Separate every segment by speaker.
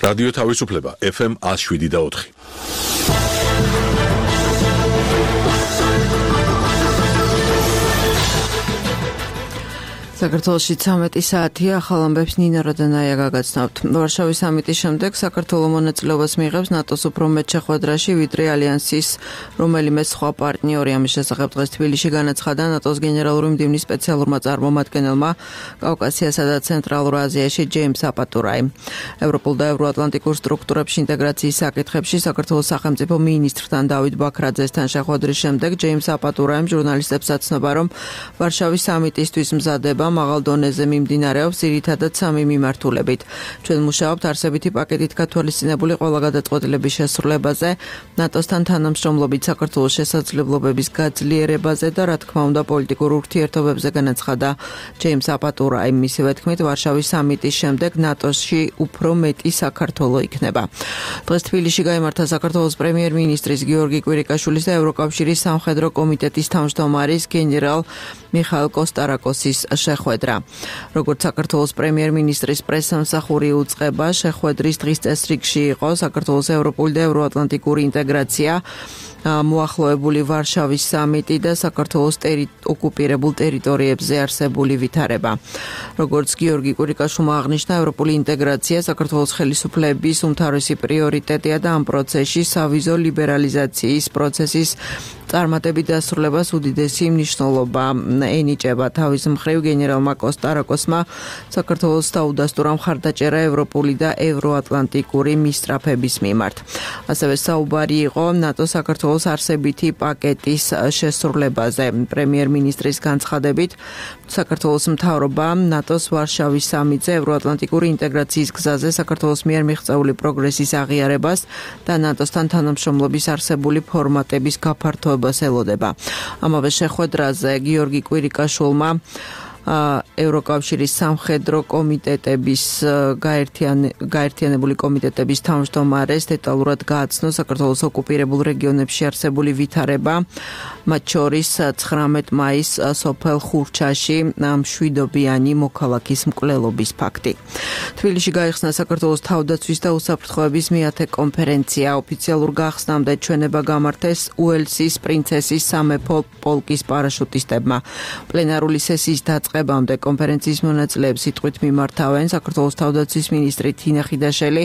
Speaker 1: რადიო თავისუფლება FM 107.4.
Speaker 2: საქართველოში 13 საათია, ახალ ამბებს ნინა როდანაია გაგაცნობთ. ვარშავის სამიტის შემდეგ საქართველოს მონაწილეობას მიიღებს ნატოს უფრო მეტ შეხვედრაში, ვიდრე ალიანსის რომელიმე სხვა პარტნიორი. ამის შესახებ დღეს თბილისში განაცხადა ნატოს გენერალური მდივნის სპეციალურმა წარმომადგენელმა კავკასიასა და ცენტრალურ აზიაში ჯეიმს აპატურაიმ. ევროპულ და ევროატლანტიკურ სტრუქტურებში ინტეგრაციის საკითხებში საქართველოს სახელმწიფო მინისტრთან დავით ბაქრაძესთან შეხვედრის შემდეგ ჯეიმს აპატურაიმ ჟურნალისტებს აცნობა, რომ ვარშავის სამიტისთვის მზადება მაღალ დონეზე მიმდინარეობს ძირითადად სამი მიმართულებით. ჩვენ მუშაობთ არსებითი პაკეტით გათვალისწინებული ყველა გადაწყვეტილების შესრულებაზე, ნატოსთან თანამშრომლობით საქართველოს შესაძლებლობების გაძლიერებაზე და რა თქმა უნდა პოლიტიკურ ურთიერთობებზე, განაცხადა ჯეიმს აპატურაიმ. მისივე თქმით, ვარშავის სამიტის შემდეგ ნატოში უფრო მეტი საქართველო იქნება. დღეს თბილისში გაიმართა საქართველოს პრემიერ-მინისტრის გიორგი კვირიკაშვილის და ევროკავშირის სამხედრო კომიტეტის თავმჯდომარის გენერალ მიხაილ კოსტარაკოსის შეხვედრა. როგორც საქართველოს პრემიერ-მინისტრის პრესსამსახური უწყება, შეხვედრის დღის წესრიგში იყო საქართველოს ევროპული და ევროატლანტიკური ინტეგრაცია, მოახლოებული ვარშავის სამიტი და საქართველოს ოკუპირებულ ტერიტორიებზე არსებული ვითარება. როგორც გიორგი კვირიკაშვილმა აღნიშნა, ევროპული ინტეგრაცია საქართველოს ხელისუფლების უმთავრესი პრიორიტეტია და ამ პროცესში სავიზო ლიბერალიზაციის პროცესის წარმატებით დასრულებას უდიდესი მნიშვნელობა ენიჭება. თავის მხრივ გენერალმა კოსტარაკოსმა საქართველოს დაუდასტურა მხარდაჭერა ევროპული და ევროატლანტიკური მისწრაფების მიმართ. ასევე საუბარი იყო ნატოს საქართველოს არსებითი პაკეტის შესრულებაზე. პრემიერ-მინისტრის განცხადებით, საქართველოს მთავრობა ნატოს ვარშავის სამიტზე ევროატლანტიკური ინტეგრაციის გზაზე საქართველოს მიერ მიღწეული პროგრესის აღიარებას და ნატოსთან თანამშრომლობის არსებული ფორმატების გაფართოებას ელოდება. ამავე შეხვედრაზე გიორგი კვირიკაშვილმა ევროკავშირის სამხედრო კომიტეტების გაერთიანებული კომიტეტების თავმჯდომარეს დეტალურად გააცნო საქართველოს ოკუპირებულ რეგიონებში არსებული ვითარება, მათ შორის 19 მაისს სოფელ ხურჩაში მშვიდობიანი მოქალაქის მკვლელობის ფაქტი. თბილისში გაიხსნა საქართველოს თავდაცვის და უსაფრთხოების მეათე კონფერენცია. ოფიციალურ გახსნამდე ჩვენება გამართეს უელსის პრინცესის სამეფო პოლკის პარაშუტისტებმა. პლენარული სესიის დაწყებამდე კონფერენციის მონაწილეებს სიტყვით მიმართავენ საქართველოს თავდაცვის მინისტრი თინა ხიდაშელი,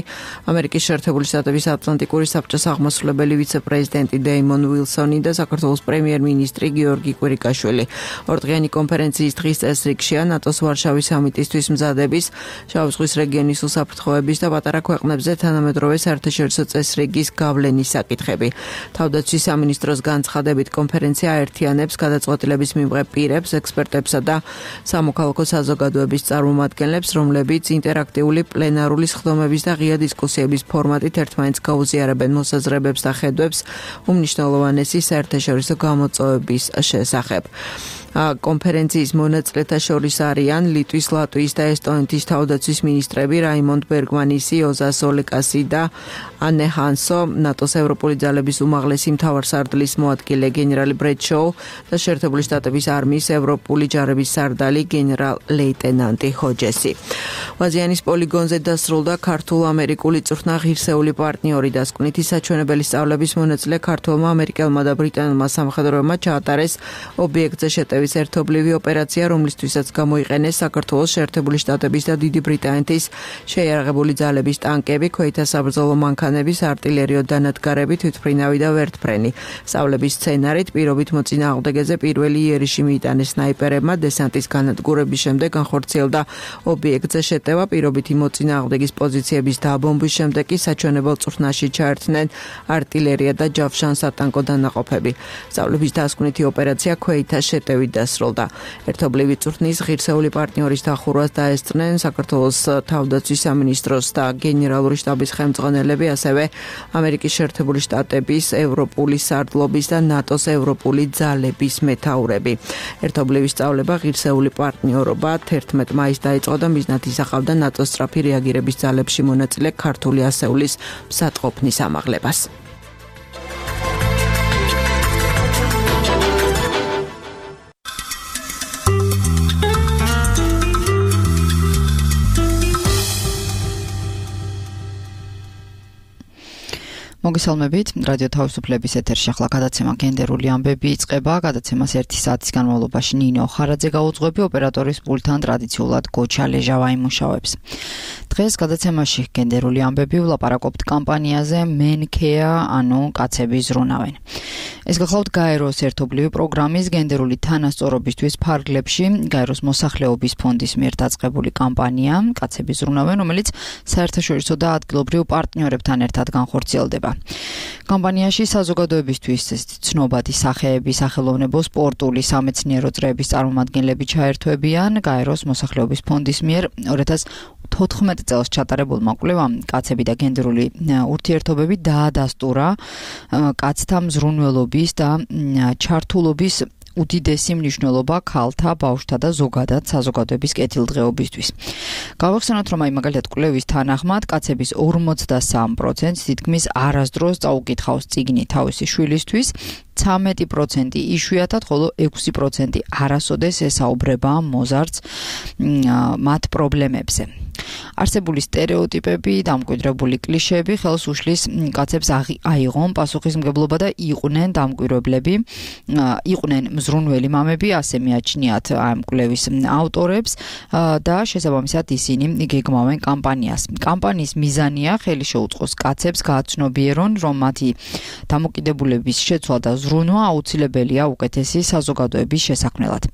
Speaker 2: ამერიკის შეერთებული შტატების ატლანტიკური საბჭოს აღმასრულებელი ვიცე-პრეზიდენტი დეიმონ უილსონი და საქართველოს პრემიერ-მინისტრი გიორგი კვირიკაშვილი. ორდღიანი კონფერენციის დღის წესრიგშია ნატოს ვარშავის სამიტისთვის მზადების, შავი ზღვის რეგიონის უსაფრთხოების და პატარა ქვეყნებზე თანამედროვე საერთაშორისო წესრიგის გავლენის საკითხები. თავდაცვის სამინისტროს განცხადებით კონფერენცია აერთიანებს გადაწყვეტილების მიმღებ პირებს, ექსპერტებსა და სამოქალაქო საზოგადოების წარმომადგენლებს, რომლებიც ინტერაქტიული პლენარული სხდომების და ღია დისკუსიების ფორმატით ერთმანეთს გაუზიარებენ მოსაზრებებს და ხედვებს უმნიშვნელოვანესი საერთაშორისო გამოწვევების შესახებ. კონფერენციის მონაწილეთა შორის არიან ლიტვის, ლატვიის და ესტონეთის თავდაცვის მინისტრები რაიმონდ ბერგმანისი, ოზას ოლეკასი და ანე ჰანსო, ნატოს ევროპული ძალების უმაღლესი მთავარსარდლის მოადგილე გენერალი ბრედ შოუ და შეერთებული შტატების არმიის ევროპული ჯარების სარდალი გენერალ-ლეიტენანტი ჰოჯესი. ვაზიანის პოლიგონზე დასრულდა ქართულ-ამერიკული წვრთნა ღირსეული პარტნიორი დასკვნითი საჩვენებელი სწავლების მონაწილე ქართველმა, ამერიკელმა და ბრიტანულმა სამხედროებმა ჩაატარეს ობიექტზე შეტევის ერთობლივი ოპერაცია, რომლისთვისაც გამოიყენეს საქართველოს შეერთებული შტატების და დიდი ბრიტანეთის შეიარაღებული ძალების ტანკები, ქვეითთა საბრძოლო მანქანების, არტილერიო დანადგარები, თვითმფრინავი და ვერტმფრენი. სწავლების სცენარით პირობით მოწინააღმდეგეზე პირველი იერიში მიიტანეს სნაიპერებმა, დესანტის განადგურების შემდეგ განხორციელდა ობიექტზე შეტევა, პირობითი მოწინააღმდეგის პოზიციების დაბომბვის შემდეგ კი საჩვენებელ წვრთნაში ჩაერთნენ არტილერია და ჯავშან-სატანკო დანაყოფები. სწავლების დასკვნითი ოპერაცია ქვეითთა შეტევით დასრულდა. ერთობლივი წვრთნის ღირსეული პარტნიორის დახურვას დაესწრნენ საქართველოს თავდაცვის სამინისტროს და გენერალური შტაბის ხელმძღვანელები, ასევე ამერიკის შეერთებული შტატების, ევროპული სარდლობის და ნატოს ევროპული ძალების მეთაურები. ერთობლივი სწავლება ღირსეული პარტნიორობა 11 მაისს დაიწყო და მიზნად ისახავდა ნატოს სწრაფი რეაგირების ძალებში მონაწილე ქართული ასეულის მსატყოფნის ამაღლებას.
Speaker 3: მოგესალმებით, რადიო თავისუფლების ეთერში ახლა გადაცემა გენდერული ამბები იწყება. გადაცემას 1 საათის განმავლობაში ნინო ხარაძე გაუძღვები, ოპერატორის პულტთან ტრადიციულად გოჩა ლეჟავა იმუშავებს. დღეს გადაცემაში გენდერული ამბები ვლაპარაკობთ კამპანიაზე Men Care, ანუ კაცები ზრუნავენ. ეს გახლავთ გაეროს ერთობლივი პროგრამის გენდერული თანასწორობისთვის ფარგლებში გაეროს მოსახლეობის ფონდის მიერ დაწყებული კამპანია კაცები ზრუნავენ, რომელიც საერთაშორისო და ადგილობრივ პარტნიორებთან ერთად განხორციელდება. კამპანიაში საზოგადოებისთვის ცნობადი სახეები, სახელოვნებო, სპორტული, სამეცნიერო წრეების წარმომადგენლები ჩაერთვებიან გაეროს მოსახლეობის ფონდის მიერ 2014 წელს ჩატარებულმა კვლევამ კაცები და გენდერული ურთიერთობები დაადასტურა კაცთა მზრუნველობის და ჩართულობის უდიდესი მნიშვნელობა ქალთა, ბავშვთა და ზოგადად საზოგადოების კეთილდღეობისთვის. გავახსენოთ, რომ მაგალითად კვლევის თანახმად კაცების 43% თითქმის არასდროს წაუკითხავს წიგნი თავისი შვილისთვის, 13% იშვიათად, ხოლო 6% არასოდეს ესაუბრება მოზარდს მათ პრობლემებზე. არსებული სტერეოტიპები, დამკვიდრებული კლიშეები ხელს უშლის კაცებს აიღონ პასუხისმგებლობა და იყვნენ დამკვირვებლები, იყვნენ მზრუნველი მამები, ასე მიაჩნიათ ამ კვლევის ავტორებს და შესაბამისად ისინი გეგმავენ კამპანიას. კამპანიის მიზანია ხელი შეუწყოს კაცებს გააცნობიერონ, რომ მათი დამოკიდებულების შეცვლა და ზრუნვა აუცილებელია უკეთესი საზოგადოების შესაქმნელად.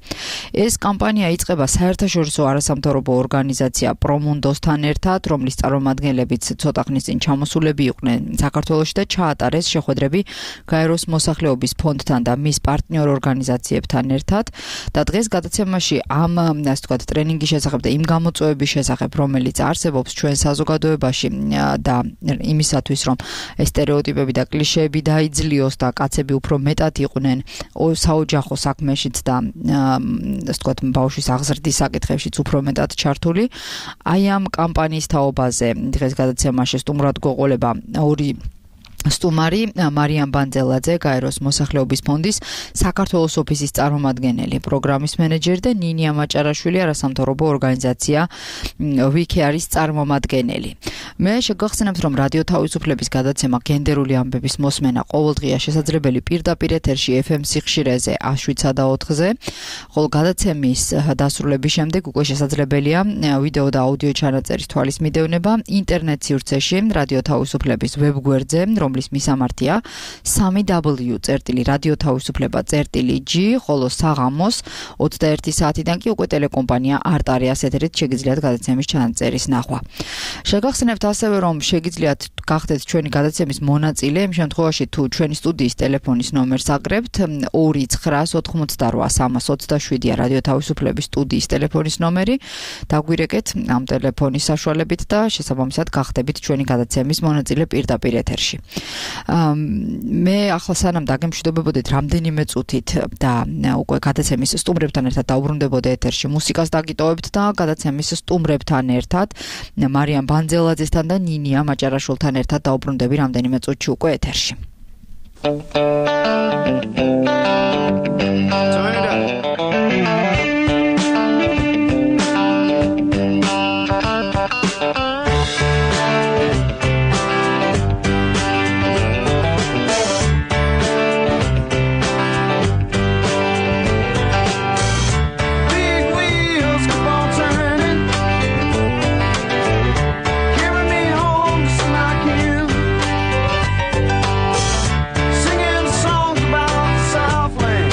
Speaker 3: ეს კამპანია იწყება საერთაშორისო არასამთავრობო ორგანიზაცია პრომუნდოსთან ერთად, რომლის წარმომადგენლებიც ცოტა ხნის წინ ჩამოსულები იყვნენ საქართველოში და ჩაატარეს შეხვედრები გაეროს მოსახლეობის ფონდთან და მის პარტნიორ ორგანიზაციებთან ერთად და დღეს გადაცემაში ამ ასე ვთქვათ ტრენინგის შესახებ და იმ გამოწვევების შესახებ, რომელიც არსებობს ჩვენ საზოგადოებაში და იმისათვის, რომ ეს სტერეოტიპები და კლიშეები დაიძლიოს და კაცები უფრო მეტად იყვნენ საოჯახო საქმეშიც და ასე ვთქვათ ბავშვის აღზრდის საკითხებშიც უფრო მეტად ჩართული. აი ამ კამპანიის თაობაზე დღეს გადაცემაში სტუმრად გვეყოლება ორი სტუმარი, მარიამ ბანძელაძე, გაეროს მოსახლეობის ფონდის საქართველოს ოფისის წარმომადგენელი, პროგრამის მენეჯერი და ნინია მაჭარაშვილი, არასამთავრობო ორგანიზაცია We Care-ის წარმომადგენელი. მე შეგახსენებთ, რომ რადიო თავისუფლების გადაცემა გენდერული ამბების მოსმენა ყოველდღია შესაძლებელი პირდაპირ ეთერში FM სიხშირეზე 107.4-ზე, ხოლო გადაცემის დასრულების შემდეგ უკვე შესაძლებელია ვიდეო და აუდიო ჩანაწერის თვალის მიდევნება ინტერნეტ სივრცეში რადიო თავისუფლების ვებგვერდზე, რომლის მისამართია www.radiotavisufleba.g, ხოლო საღამოს 21 საათიდან კი უკვე ტელეკომპანია არტარიას ეთერით შეგიძლიათ გადაცემის ჩანაწერის ნახვა. შეგახსენებთ ასევე, რომ შეგიძლიათ გახდეთ ჩვენი გადაცემის მონაწილე, იმ შემთხვევაში თუ ჩვენი სტუდიის ტელეფონის ნომერს აკრებთ 2988327-ია რადიო თავისუფლების სტუდიის ტელეფონის ნომერი, დაგვირეკეთ ამ ტელეფონის საშუალებით და შესაბამისად გახდებით ჩვენი გადაცემის მონაწილე პირდაპირ ეთერში. მე ახლა სანამ დაგემშვიდობებოდეთ რამდენიმე წუთით და უკვე გადაცემის სტუმრებთან ერთად დაუბრუნდებოდე ეთერში, მუსიკას დაგიტოვებთ და გადაცემის სტუმრებთან ერთად მარიამ ბანძელაძესთან და ნინია მაჭარაშვილთან ერთად დაუბრუნდები რამდენიმე წუთში უკვე ეთერში.
Speaker 4: Singing songs about Southland.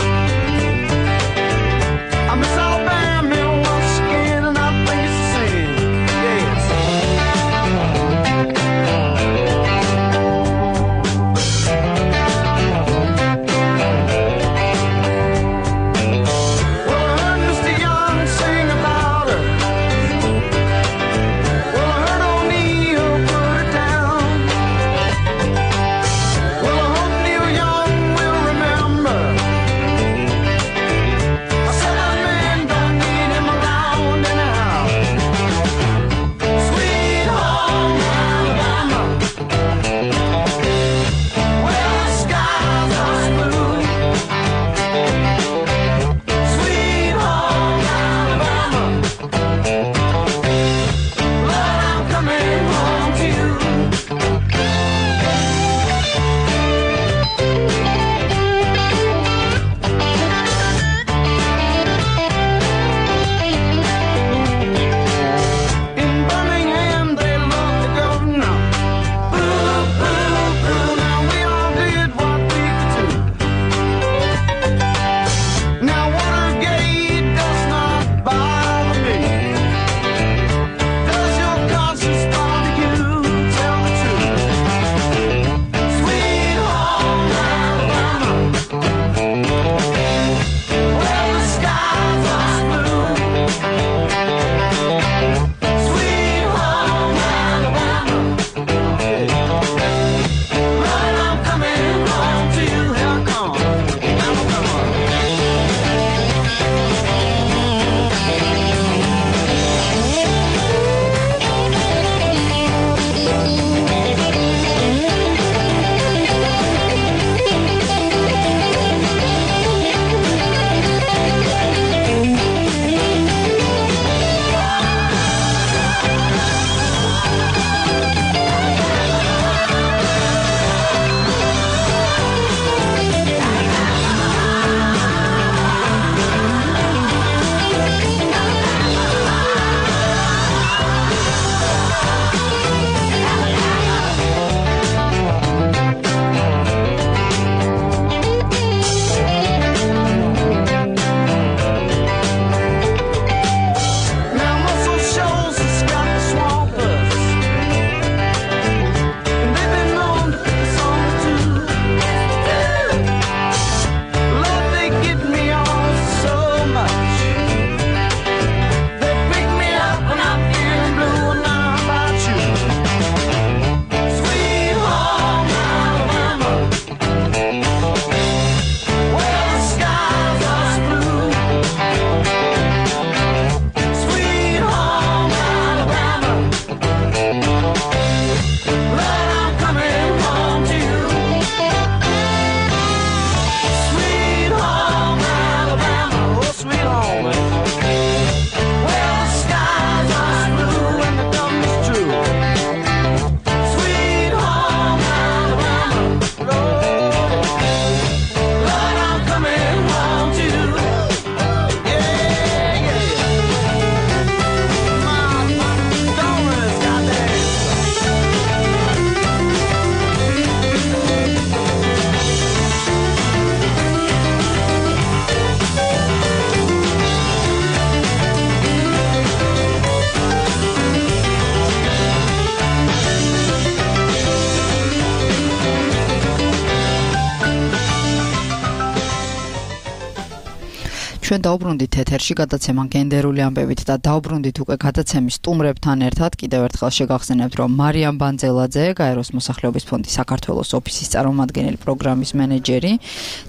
Speaker 3: ჩვენ დაუბრუნდით ეთერში გადაცემა გენდერული ამბებით და დაუბრუნდით უკვე გადაცემის სტუმრებთან ერთად. კიდევ ერთხელ შეგახსენებთ, რომ მარიამ ბანძელაძე, გაეროს მოსახლეობის ფონდის საქართველოს ოფისის წარმომადგენელი, პროგრამის მენეჯერი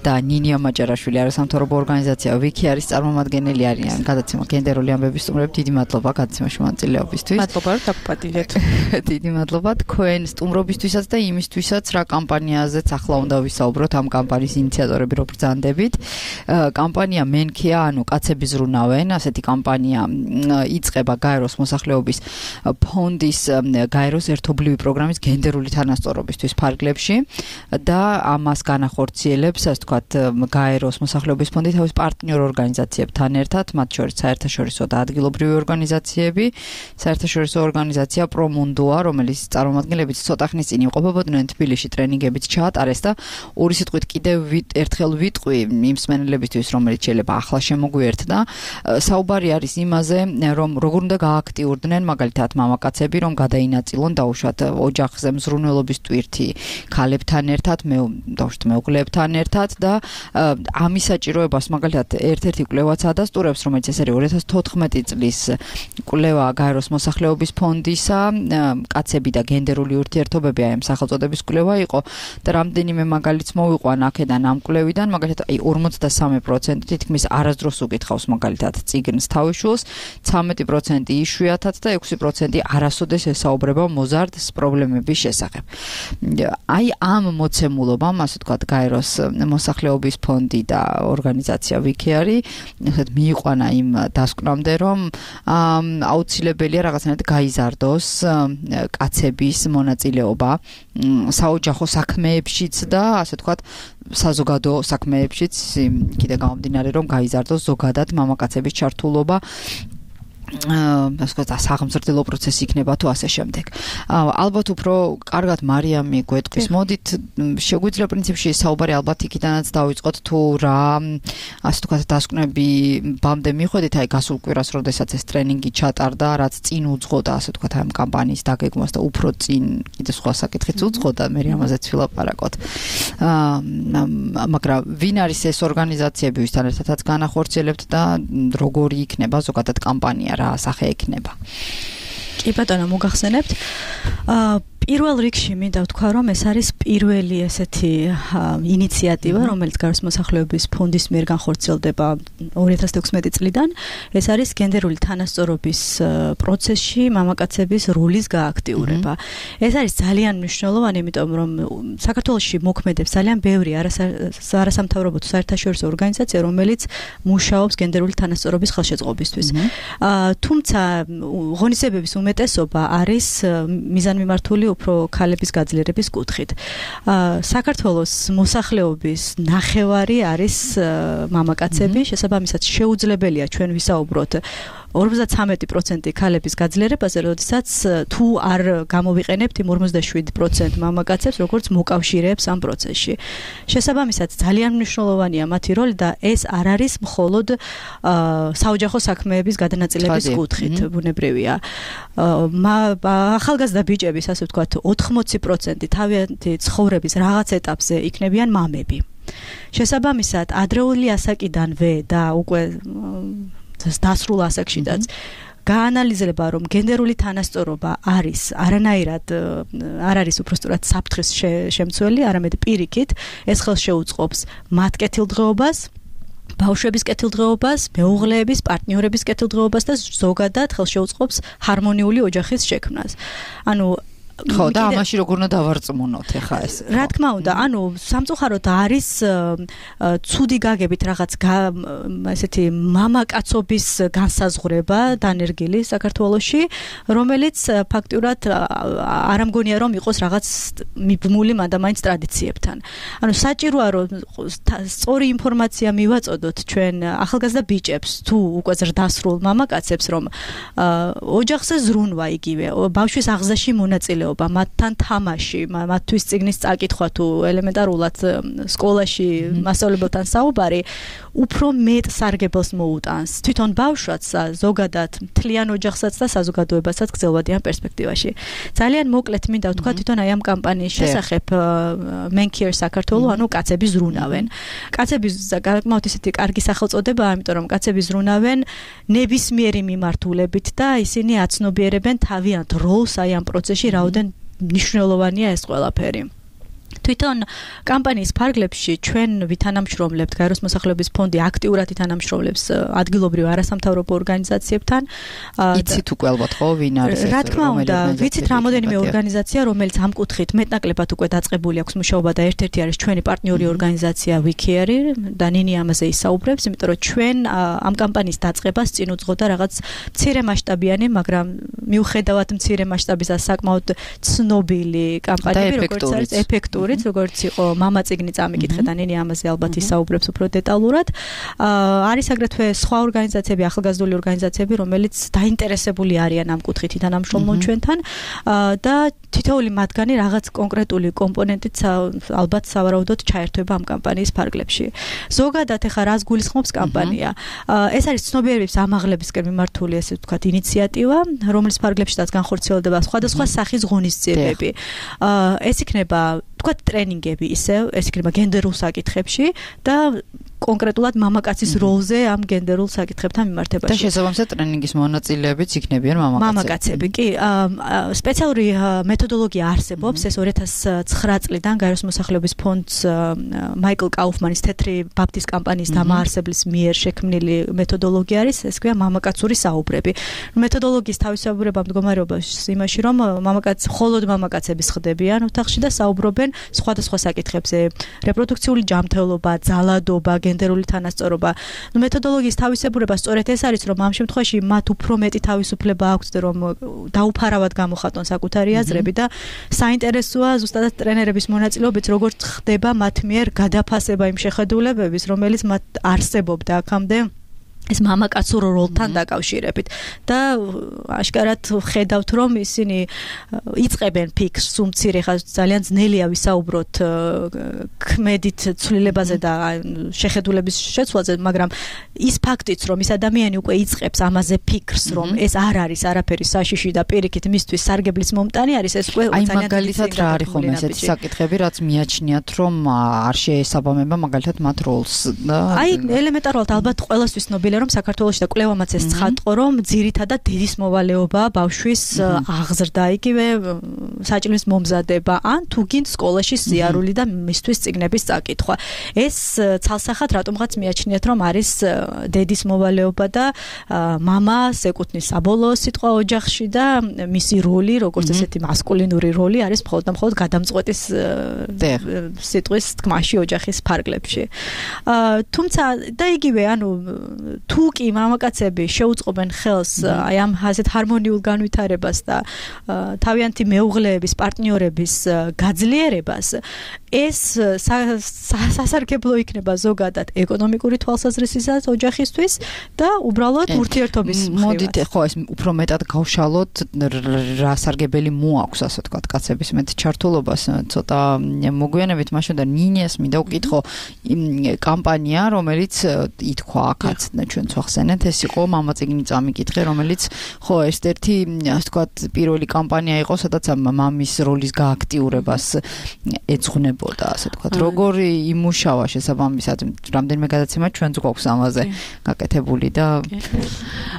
Speaker 3: და ნინია მაჭარაშვილი არასამთავრობო ორგანიზაცია ვიკი არის წარმომადგენელი არიან. გადაცემა გენდერული ამბების სტუმრები, დიდი მადლობა გადაცემაში მონაწილეობისთვის.
Speaker 4: მადლობა, რომ დაგპატილეთ.
Speaker 3: დიდი მადლობა თქვენ სტუმრობისთვისაც და იმისთვისაც, რა კამპანიაზეც ახლა უნდა ვისაუბროთ, ამ კამპანიის ინიციატორები რო ბრძანდებით. კამპანია მენქია, ანუ კაცები ზრუნავენ, ასეთი კამპანია იწყება გაეროს მოსახლეობის ფონდის გაეროს ერთობლივი პროგრამის გენდერული თანასწორობისთვის ფარგლებში და ამას განახორციელებს, ასე ვთქვათ, გაეროს მოსახლეობის ფონდი თავის პარტნიორ ორგანიზაციებთან ერთად, მათ შორის საერთაშორისო და ადგილობრივი ორგანიზაციები, საერთაშორისო ორგანიზაცია პრომუნდოა, რომელიც წარმომადგენლებით ცოტა ხნის წინ იმყოფებოდნენ თბილისში ტრენინგებით ჩაატარეს და ორი სიტყვით კიდევ ერთხელ ვიტყვი იმ მსმენელებისთვის, რომელიც შეიძლება ახლა შემოგვიერთდა. საუბარი არის იმაზე, რომ როგორ უნდა გააქტიურდნენ მაგალითად მამაკაცები, რომ გადაინაწილონ დაუშვათ ოჯახზე მზრუნველობის ტვირთი ქალებთან ერთად, მეუღლეებთან ერთად და ამის საჭიროებას მაგალითად ერთ-ერთი კვლევაც ადასტურებს, რომელიც ეს არის 2014 წლის კვლევა გაეროს მოსახლეობის ფონდისა, კაცები და გენდერული ურთიერთობები, აი ამ სახელწოდების კვლევა იყო და რამდენიმე მაგალითს მოვიყვან აქედან ამ კვლევიდან, მაგალითად 53% თითქმის არასდროს უკითხავს მაგალითად წიგნს თავისშულს, 13% იშვიათად და 6% არასოდეს ესაუბრება მოზარდს პრობლემების შესახებ. აი ამ მოცემულობამ, ასე ვთქვათ, გაეროს მოსახლეობის ფონდი და ორგანიზაცია ვიკი არის, ესეთ მიიყვანა იმ დასკვნამდე, რომ აუცილებელია რაღაცნაირად გაიზარდოს კაცების მონაწილეობა საოჯახო საქმეებშიც და ასე ვთქვათ, საზოგადო საქმეებშიც, კიდე გამომდინარე, რომ გაიზარდოს ზოგადად მამაკაცების ჩართულობა საღმრთელო პროცესი იქნება თუ ასე შემდეგ. ალბათ უფრო კარგად მარიამი გვეტყვის. მოდით შეგვიძლია პრინციპში საუბარი ალბათ იქიდანაც დავიწყოთ თუ რა ასე ვთქვათ დასკვნები ბამდე მიხვედით, აი გასულ კვირას, როდესაც ეს ტრენინგი ჩატარდა, რაც წინ უძღოდა ასე ვთქვათ ამ კამპანიის დაგეგმვას და უფრო წინ კიდე სხვა საკითხიც უძღოდა, მე ამაზეც ვილაპარაკოთ. მაგრამ ვინ არის ეს ორგანიზაციები, ვისთან ერთადაც განახორციელებთ და როგორი იქნება ზოგადად კამპანია, რა სახე ექნება?
Speaker 4: კი ბატონო, მოგახსენებთ. პირველ რიგში მინდა ვთქვა, რომ ეს არის პირველი ესეთი ინიციატივა, რომელიც გაეროს მოსახლეობის ფონდის მიერ განხორციელდება 2016 წლიდან. ეს არის გენდერული თანასწორობის პროცესში მამაკაცების როლის გააქტიურება. ეს არის ძალიან მნიშვნელოვანი, იმიტომ რომ საქართველოში მოქმედებს ძალიან ბევრი არასამთავრობო თუ საერთაშორისო ორგანიზაცია, რომელიც მუშაობს გენდერული თანასწორობის ხელშეწყობისთვის. თუმცა ღონისძიებების უმეტესობა არის მიზანმიმართული უფრო ქალების გაძლიერების კუთხით. საქართველოს მოსახლეობის ნახევარი არის მამაკაცები, შესაბამისად შეუძლებელია ჩვენ ვისაუბროთ 53% ქალების გაძლიერებაზე, როდესაც თუ არ გამოვიყენებთ იმ 47% მამაკაცებს, როგორც მოკავშირეებს ამ პროცესში. შესაბამისად, ძალიან მნიშვნელოვანია მათი როლი და ეს არ არის მხოლოდ საოჯახო საქმეების გადანაწილების კუთხით, ბუნებრივია. ახალგაზრდა ბიჭების, ასე ვთქვათ, 80% თავიანთი ცხოვრების რაღაც ეტაპზე იქნებიან მამები. შესაბამისად, ადრეული ასაკიდანვე და უკვე დასრულ ასაკშიდაც გაანალიზება, რომ გენდერული თანასწორობა არის არანაირად არ არის უბრალოდ საფრთხის შემცველი, არამედ პირიქით ეს ხელს შეუწყობს მათ კეთილდღეობას, ბავშვების კეთილდღეობას, მეუღლეების, პარტნიორების კეთილდღეობას და ზოგადად ხელს შეუწყობს ჰარმონიული ოჯახის შექმნას. ანუ
Speaker 3: ხო და ამაში როგორ უნდა დავარწმუნოთ ახლა ეს?
Speaker 4: რა თქმა უნდა, ანუ სამწუხაროდ არის ცუდი გაგებით რაღაც ესეთი მამაკაცობის განსაზღვრება დანერგილი საქართველოში, რომელიც ფაქტურად არ ამგონია რომ იყოს რაღაც მიბმული მანდამაინც ტრადიციებთან. ანუ საჭიროა რომ სწორი ინფორმაცია მივაწოდოთ ჩვენ ახალგაზრდა ბიჭებს თუ უკვე ზრდასრულ მამაკაცებს, რომ ოჯახზე ზრუნვა იგივე, ბავშვის აღზრდაში მონაწილეობა, მათთან თამაში, მათთვის წიგნის წაკითხვა თუ ელემენტარულად სკოლაში მასწავლებელთან საუბარი უფრო მეტ სარგებელს მოუტანს თვითონ ბავშვს ზოგადად მთლიან ოჯახსაც და საზოგადოებასაც გრძელვადიან პერსპექტივაში. ძალიან მოკლედ მინდა ვთქვა თვითონ აი ამ კამპანიის შესახებ Men Care საქართველოს, ანუ კაცები ზრუნავენ. კაცები გაკმაოთ ისეთი კარგი სახელწოდებაა, იმიტომ რომ კაცები ზრუნავენ ნებისმიერი მიმართულებით და ისინი აცნობიერებენ თავიანთ როლს აი ამ პროცესში, რაოდენ მნიშვნელოვანია ეს ყველაფერი. თვითონ კამპანიის ფარგლებში ჩვენ ვითანამშრომლებთ გაეროს მოსახლეობის ფონდი აქტიურად ითანამშრომლებს ადგილობრივ არასამთავრობო ორგანიზაციებთან.
Speaker 3: იცით უკვე ალბათ ხო ვინ არის ეს?
Speaker 4: რა თქმა უნდა, ვიცით რამოდენიმე ორგანიზაცია, რომელიც ამ კუთხით მეტნაკლებად უკვე დაწყებული აქვს მუშაობა და ერთ-ერთი არის ჩვენი პარტნიორი ორგანიზაცია WeCare და ნინი ამაზე ისაუბრებს, იმიტომ რომ ჩვენ ამ კამპანიის დაწყებას წინ უძღოდა რაღაც მცირე მასშტაბიანი, მაგრამ მიუხედავად მცირე მასშტაბისა საკმაოდ ცნობილი კამპანიები, როგორც არის ეფექტური როგორც იყო мама წიგნი წამიკითხე და ნინი ამაზე ალბათ ისაუბრებს უფრო დეტალურად. არის აგრეთვე სხვა ორგანიზაციები, ახალგაზრდული ორგანიზაციები, რომელიც დაინტერესებული არიან ამ კუთხით ითანამშრომლონ ჩვენთან და თითოეული მათგანი რაღაც კონკრეტული კომპონენტით ალბათ სავარაუდოდ ჩაერთვება ამ კამპანიის ფარგლებში. ზოგადად ეხა რას გულისხმობს კამპანია? ეს არის ცნობიერების ამაღლებისკენ მიმართული ესე ვთქვათ ინიციატივა, რომლის ფარგლებშიც განხორციელდება სხვადასხვა სახის ღონისძიებები. ეს იქნება ვთქვათ ტრენინგები ისევ, ეს იქნება გენდერულ საკითხებში და კონკრეტულად მამაკაცის როლზე ამ გენდერულ საკითხებთან მიმართებაში.
Speaker 3: და შესაბამისად ტრენინგის მონაწილეებიც იქნებიან
Speaker 4: მამაკაცები. კი, სპეციალური მეთოდოლოგია არსებობს, ეს 2009 წლიდან გაეროს მოსახლეობის ფონდს მაიკლ კაუფმანის თეთრი ბაფტის კამპანიის დამაარსებლის მიერ შექმნილი მეთოდოლოგია არის, ეს ქვია მამაკაცური საუბრები. მეთოდოლოგიის თავისებურება მდგომარეობს იმაში, რომ მხოლოდ მამაკაცები ხდებიან ოთახში და საუბრობენ სხვადასხვა საკითხებზე, რეპროდუქციული ჯანმრთელობა, ძალადობა, გენდერული თანასწორობა. მეთოდოლოგიის თავისებურება სწორედ ეს არის, რომ ამ შემთხვევაში მათ უფრო მეტი თავისუფლება აქვთ, რომ დაუფარავად გამოხატონ საკუთარი აზრები და საინტერესოა ზუსტად ტრენერების მონაწილეობით, როგორც ხდება მათ მიერ გადაფასება იმ შეხედულებების, რომელიც მათ არსებობდა აქამდე ეს მამაკაცურ როლთან დაკავშირებით და აშკარად ხედავთ რომ ისინი იწყებენ ფიქრს უმცირე ხა ძალიან ძნელია ვისაუბროთ ქმედით ცვლილებაზე და შეხედულების შეცვლაზე, მაგრამ ის ფაქტიც რომ ის ადამიანი უკვე იწყებს ამაზე ფიქრს რომ ეს არ არის არაფერი საშიში და პირიქით მისთვის სარგებლის მომტანი არის, ეს უკვე
Speaker 3: ძალიან მაგალითად რა არის ხომ ესეთი საკითხები, რაც მიაჩნიათ რომ არ შეესაბამება მაგალითად მათ როლს და
Speaker 4: აი ელემენტარულად ალბათ ყველასთვის ცნობილია რომ საქართველოში და კვლევამაც ეს ცხადყო რომ ძირითადად დედის მოვალეობაა ბავშვის აღზრდა, იგივე საჭმლის მომზადება ან თუ გინდ სკოლაში სიარული და მისთვის წიგნების წაკითხვა. ეს ცალსახად რატომღაც მიაჩნიათ რომ არის დედის მოვალეობა და მამას ეკუთვნის საბოლოო სიტყვა ოჯახში და მისი როლი, როგორც ესეთი მასკულინური როლი არის მხოლოდ და მხოლოდ გადამწყვეტის სიტყვის თქმაში ოჯახის ფარგლებში. თუმცა და იგივე ანუ თუ კი მამაკაცები შეუწყობენ ხელს აი ამ ასეთ ჰარმონიულ განვითარებას და თავიანთი მეუღლეების, პარტნიორების გაძლიერებას, ეს სასარგებლო იქნება ზოგადად ეკონომიკური თვალსაზრისითაც ოჯახისთვის და უბრალოდ ურთიერთობის მხრივ.
Speaker 3: მოდით ხო ეს უფრო მეტად გავშალოთ რა სარგებელი მოაქვს ასე ვთქვათ კაცების მეტ ჩართულობას ცოტა მოგვიანებით მაშინ და ნინიას მინდა ვკითხო კამპანია რომელიც ითქვა აქაც ჩვენ ვახსენეთ, ეს იყო мама წიგნი წამიკითხე, რომელიც ხო ერთ-ერთი ასე ვთქვათ პირველი კამპანია იყო, სადაც მამის როლის გააქტიურებას ეძღვნებოდა, ასე ვთქვათ. როგორი იმუშავა შესაბამისად, რამდენიმე გადაცემა ჩვენც გვაქვს ამაზე გაკეთებული და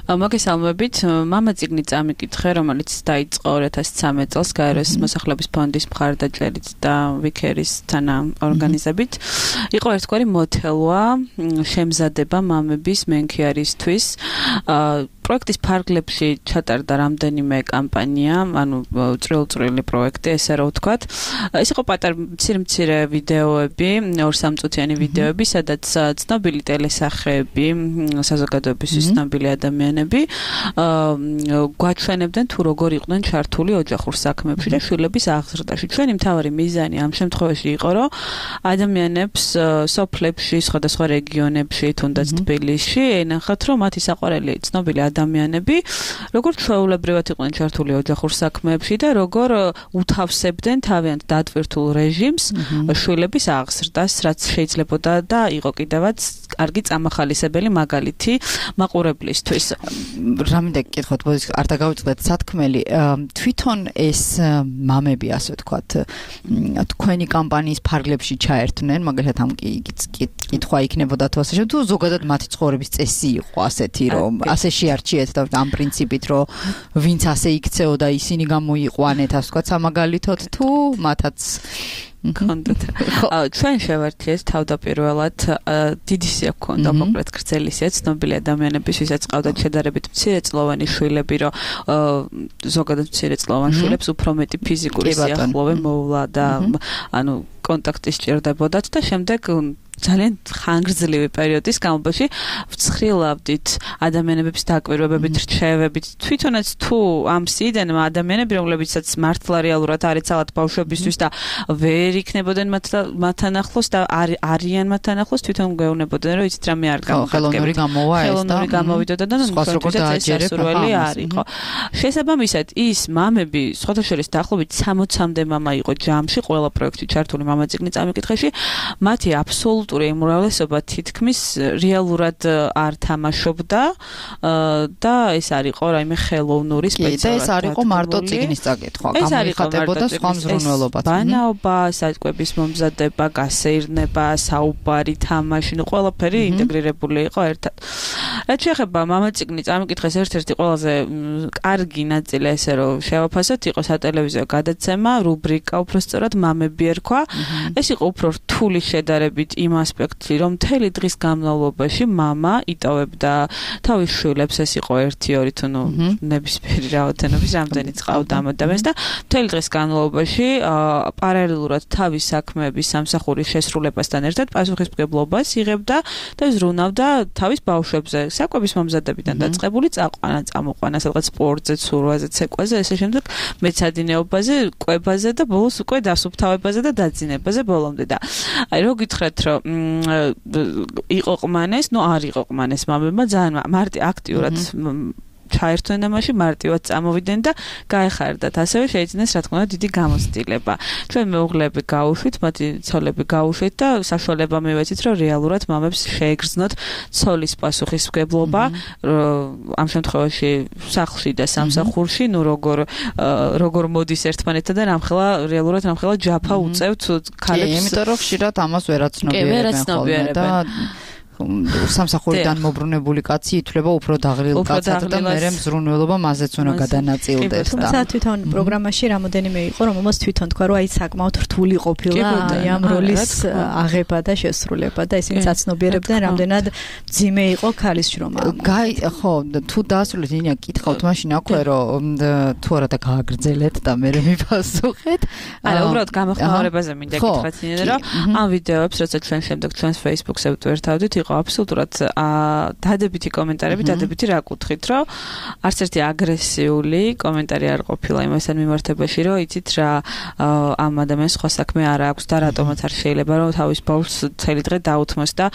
Speaker 5: მოგესალმებით, мама წიგნი წამიკითხე, რომელიც დაიწყო 2013 წელს გაეროს მოსახლეობის ფონდის მხარდაჭერით და WeCare-ის თანაორგანიზებით. იყო ერთგვარი მოდელვა შემზადება მამების Men Care-ისთვის. პროექტის ფარგლებში ჩატარდა რამდენიმე კამპანია, ანუ წრილ-წრილი პროექტი, ესე რა ვთქვათ. ეს იყო პატარ მცირე ვიდეოები, 2-3 წუთიანი ვიდეოები, სადაც ცნობილი ტელესახეები, საზოგადოებისთვის ცნობილი ადამიანები გვაჩვენებდნენ თუ როგორ იყვნენ ჩართული ოჯახურ საქმეებში და შვილების აღზრდაში. ჩვენი მთავარი მიზანი ამ შემთხვევაში იყო, რომ ადამიანებს სოფლებში, სხვადასხვა რეგიონებში, თუნდაც თბილისში, ენახათ, რომ მათი საყვარელი ცნობილი ადამიანები, როგორ ჩვეულებრივად იყვნენ ჩართული ოჯახურ საქმეებში და როგორ უთავსებდნენ თავიანთ დატვირთულ რეჟიმს შვილების აღზრდას, რაც შეიძლებოდა და იყო კიდევაც კარგი წამახალისებელი მაგალითი მაყურებლისთვის.
Speaker 3: რამე გითხოთ, არ დაგავიწყდეთ სათქმელი, თვითონ ეს მამები, ასე ვთქვათ, თქვენი კამპანიის ფარგლებში ჩაერთვნენ, მაგალითად ამ კითხვა იქნებოდა თუ ასე შემდეგ, თუ ზოგადად მათი ცხოვრების წესი იყო ასეთი, რომ ასე შეარჩიეთ და ამ პრინციპით, რომ ვინც ასე იქცეოდა, ისინი გამოიყვანეთ, ასე ვთქვათ, სამაგალითოდ თუ მათაც კონდეთ. ჩვენ შევერთიეთ თავდაპირველად დიდი სია გქონდა კონკრეტ გრძელი სია ცნობილი ადამიანების, ვისაც ყავდათ შედარებით მცირეწლოვანი შვილები, რომ ზოგადად მცირეწლოვან შვილებს უფრო მეტი ფიზიკური სიახლოვე მოვლა და ანუ კონტაქტი სჭირდებოდათ და შემდეგ ძალიან ხანგრძლივი პერიოდის განმავლობაში ვცხრილავდით ადამიანების დაკვირვებებით, რჩევებით, თვითონაც თუ ამ სიდენმა ადამიანები, რომლებიცაც მართლა რეალურად არ ეცალათ ბავშვებისთვის და ვერ იქნებოდნენ მათთან ახლოს და არიან მათთან ახლოს, თვითონ გეუბნებოდნენ, რომ იცით რამე არ გამოგაგებთ. ხელოვნური გამოვიდოდა და ეს სასურველი არ იყო. შესაბამისად, ის მამები, სხვათა შორის დაახლოებით 60-მდე მამა იყო ჯამში, ყველა პროექტი ჩართული მამაწიგნი წამიკითხეში, მათი აბსოლუტური უმრავლესობა თითქმის რეალურად არ თამაშობდა და ეს არ იყო რაიმე ხელოვნური სპეციალობა. და ეს არ იყო მარტო წიგნის წაკითხვა, გამოიხატებოდა სხვა მზრუნველობაც.
Speaker 5: ბანაობა, საჭკვების მომზადება, გასეირნება, საუბარი, თამაში, ყველაფერი ინტეგრირებული იყო ერთად. რაც შეეხება მამაწიგნი წამიკითხეს ერთ-ერთი ყველაზე კარგი ნაწილი ესე რომ შევაფასოთ, იყო სატელევიზიო გადაცემა, რუბრიკა უბრალოდ მამები ერქვა. ეს იყო უფრო რთული შედარებით იმ ასპექტში, რომ მთელი დღის განმავლობაში მამა იტოვებდა თავის შვილებს, ეს იყო 1-2 თუ ნუ ნებისმიერი რაოდენობის რამდენიც ყავდა ამ ადამიანს და მთელი დღის განმავლობაში პარალელურად თავის საქმეების სამსახურის შესრულებასთან ერთად პასუხისმგებლობას იღებდა და ზრუნავდა თავის ბავშვებზე, საკვების მომზადებიდან დაწყებული წაყვანა, წამოყვანა, სადღაც სპორტზე, ცურვაზე, ცეკვაზე, ესე შემდეგ მეცადინეობაზე, კვებაზე და ბოლოს უკვე დასუფთავებაზე და დაძინებაზე ბოლომდე და აი რო გითხრათ რომ იყო ყმანეს, ნუ არ იყო ყმანეს მამებმა ძალიან მარტი აქტიურად ჩაერთვნენ ამაში, მარტივად წამოვიდნენ და გაეხარდათ. ასევე შეიძინეს რა თქმა უნდა დიდი გამოცდილება. ჩვენ მეუღლეები გაუშვით, მათი ცოლები გაუშვით და საშუალება მივეცით, რომ რეალურად მამებს შეეგრძნოთ ცოლის პასუხისმგებლობა, ამ შემთხვევაში სახლში და სამსახურში, ნუ როგორ მოდის ერთმანეთთან და რეალურად რამხელა ჯაფა უწევთ ქალებს.
Speaker 3: იმიტომ რომ ხშირად ამას ვერაცნობიერებენ და სამსახურიდან მობრუნებული კაცი ითვლება უფრო დაღლილ კაცად და მერე მზრუნველობა მასეც უნდა გადანაწილდეს და
Speaker 4: თუმცა თვითონ პროგრამაში რამოდენიმე იყო რომ მას თვითონ თქვა რომ აი საკმაოდ რთული ყოფილა ამ როლის აღება და შესრულება და ისინი საცნობიერებდნენ რამდენად ძიმე იყო ქალის შრომა.
Speaker 3: ხო, თუ დაასრულეთ ინია კითხავთ მაშინ აქვე რომ თუ არა და გააგრძელეთ და მერე მიფასუხეთ.
Speaker 5: არა, უბრალოდ გამოხმაურებაზე მინდა გითხრათ ინია რომ ამ ვიდეოებს როცა ჩვენ შემდეგ ჩვენს Facebook-ზე ვტვირთავდით იყო აბსოლუტურად დადებითი კომენტარები, დადებითი რა კუთხით, რომ არც ერთი აგრესიული კომენტარი არ ყოფილა იმასთან მიმართებაში, რომ იცით რა ამ ადამიანს სხვა საქმე არ აქვს და რატომაც არ შეიძლება რომ თავის ბავშვს წელი დღე დაუთმოს და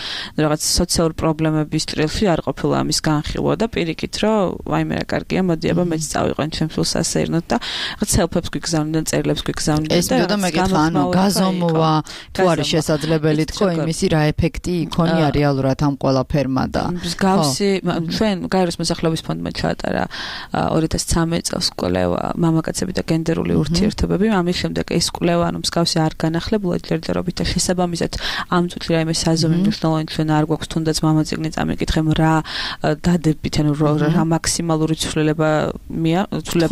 Speaker 5: რაღაც სოციალური პრობლემების ჭრილში არ ყოფილა ამის განხილვა და პირიქით, რომ ვაიმე რა კარგია, მოდი აბა მეც წავიყვან ჩემს სულს ასეირნოთ და რაღაც სელფებს გვიგზავნდნენ, წერილებს გვიგზავნდნენ
Speaker 3: და ეს მეკითხა, ანუ გაზომვა თუ არის შესაძლებელი თქო იმისი რა ეფექტი იქონია რეალურად ამ ყველაფერმა და
Speaker 5: მსგავსი ჩვენ გაეროს მოსახლეობის ფონდმა ჩაატარა 2013 წელს კვლევა მამაკაცები და გენდერული ურთიერთობები. ამის შემდეგ ეს კვლევა ანუ მსგავსი არ განახლებულა ჯერჯერობით და შესაბამისად ამ წუთში რაიმე საზომი მნიშვნელოვანი ჩვენ არ გვაქვს, თუნდაც მამაწიგნი წამიკითხემ რა დადებით ანუ რა მაქსიმალური ცვლილება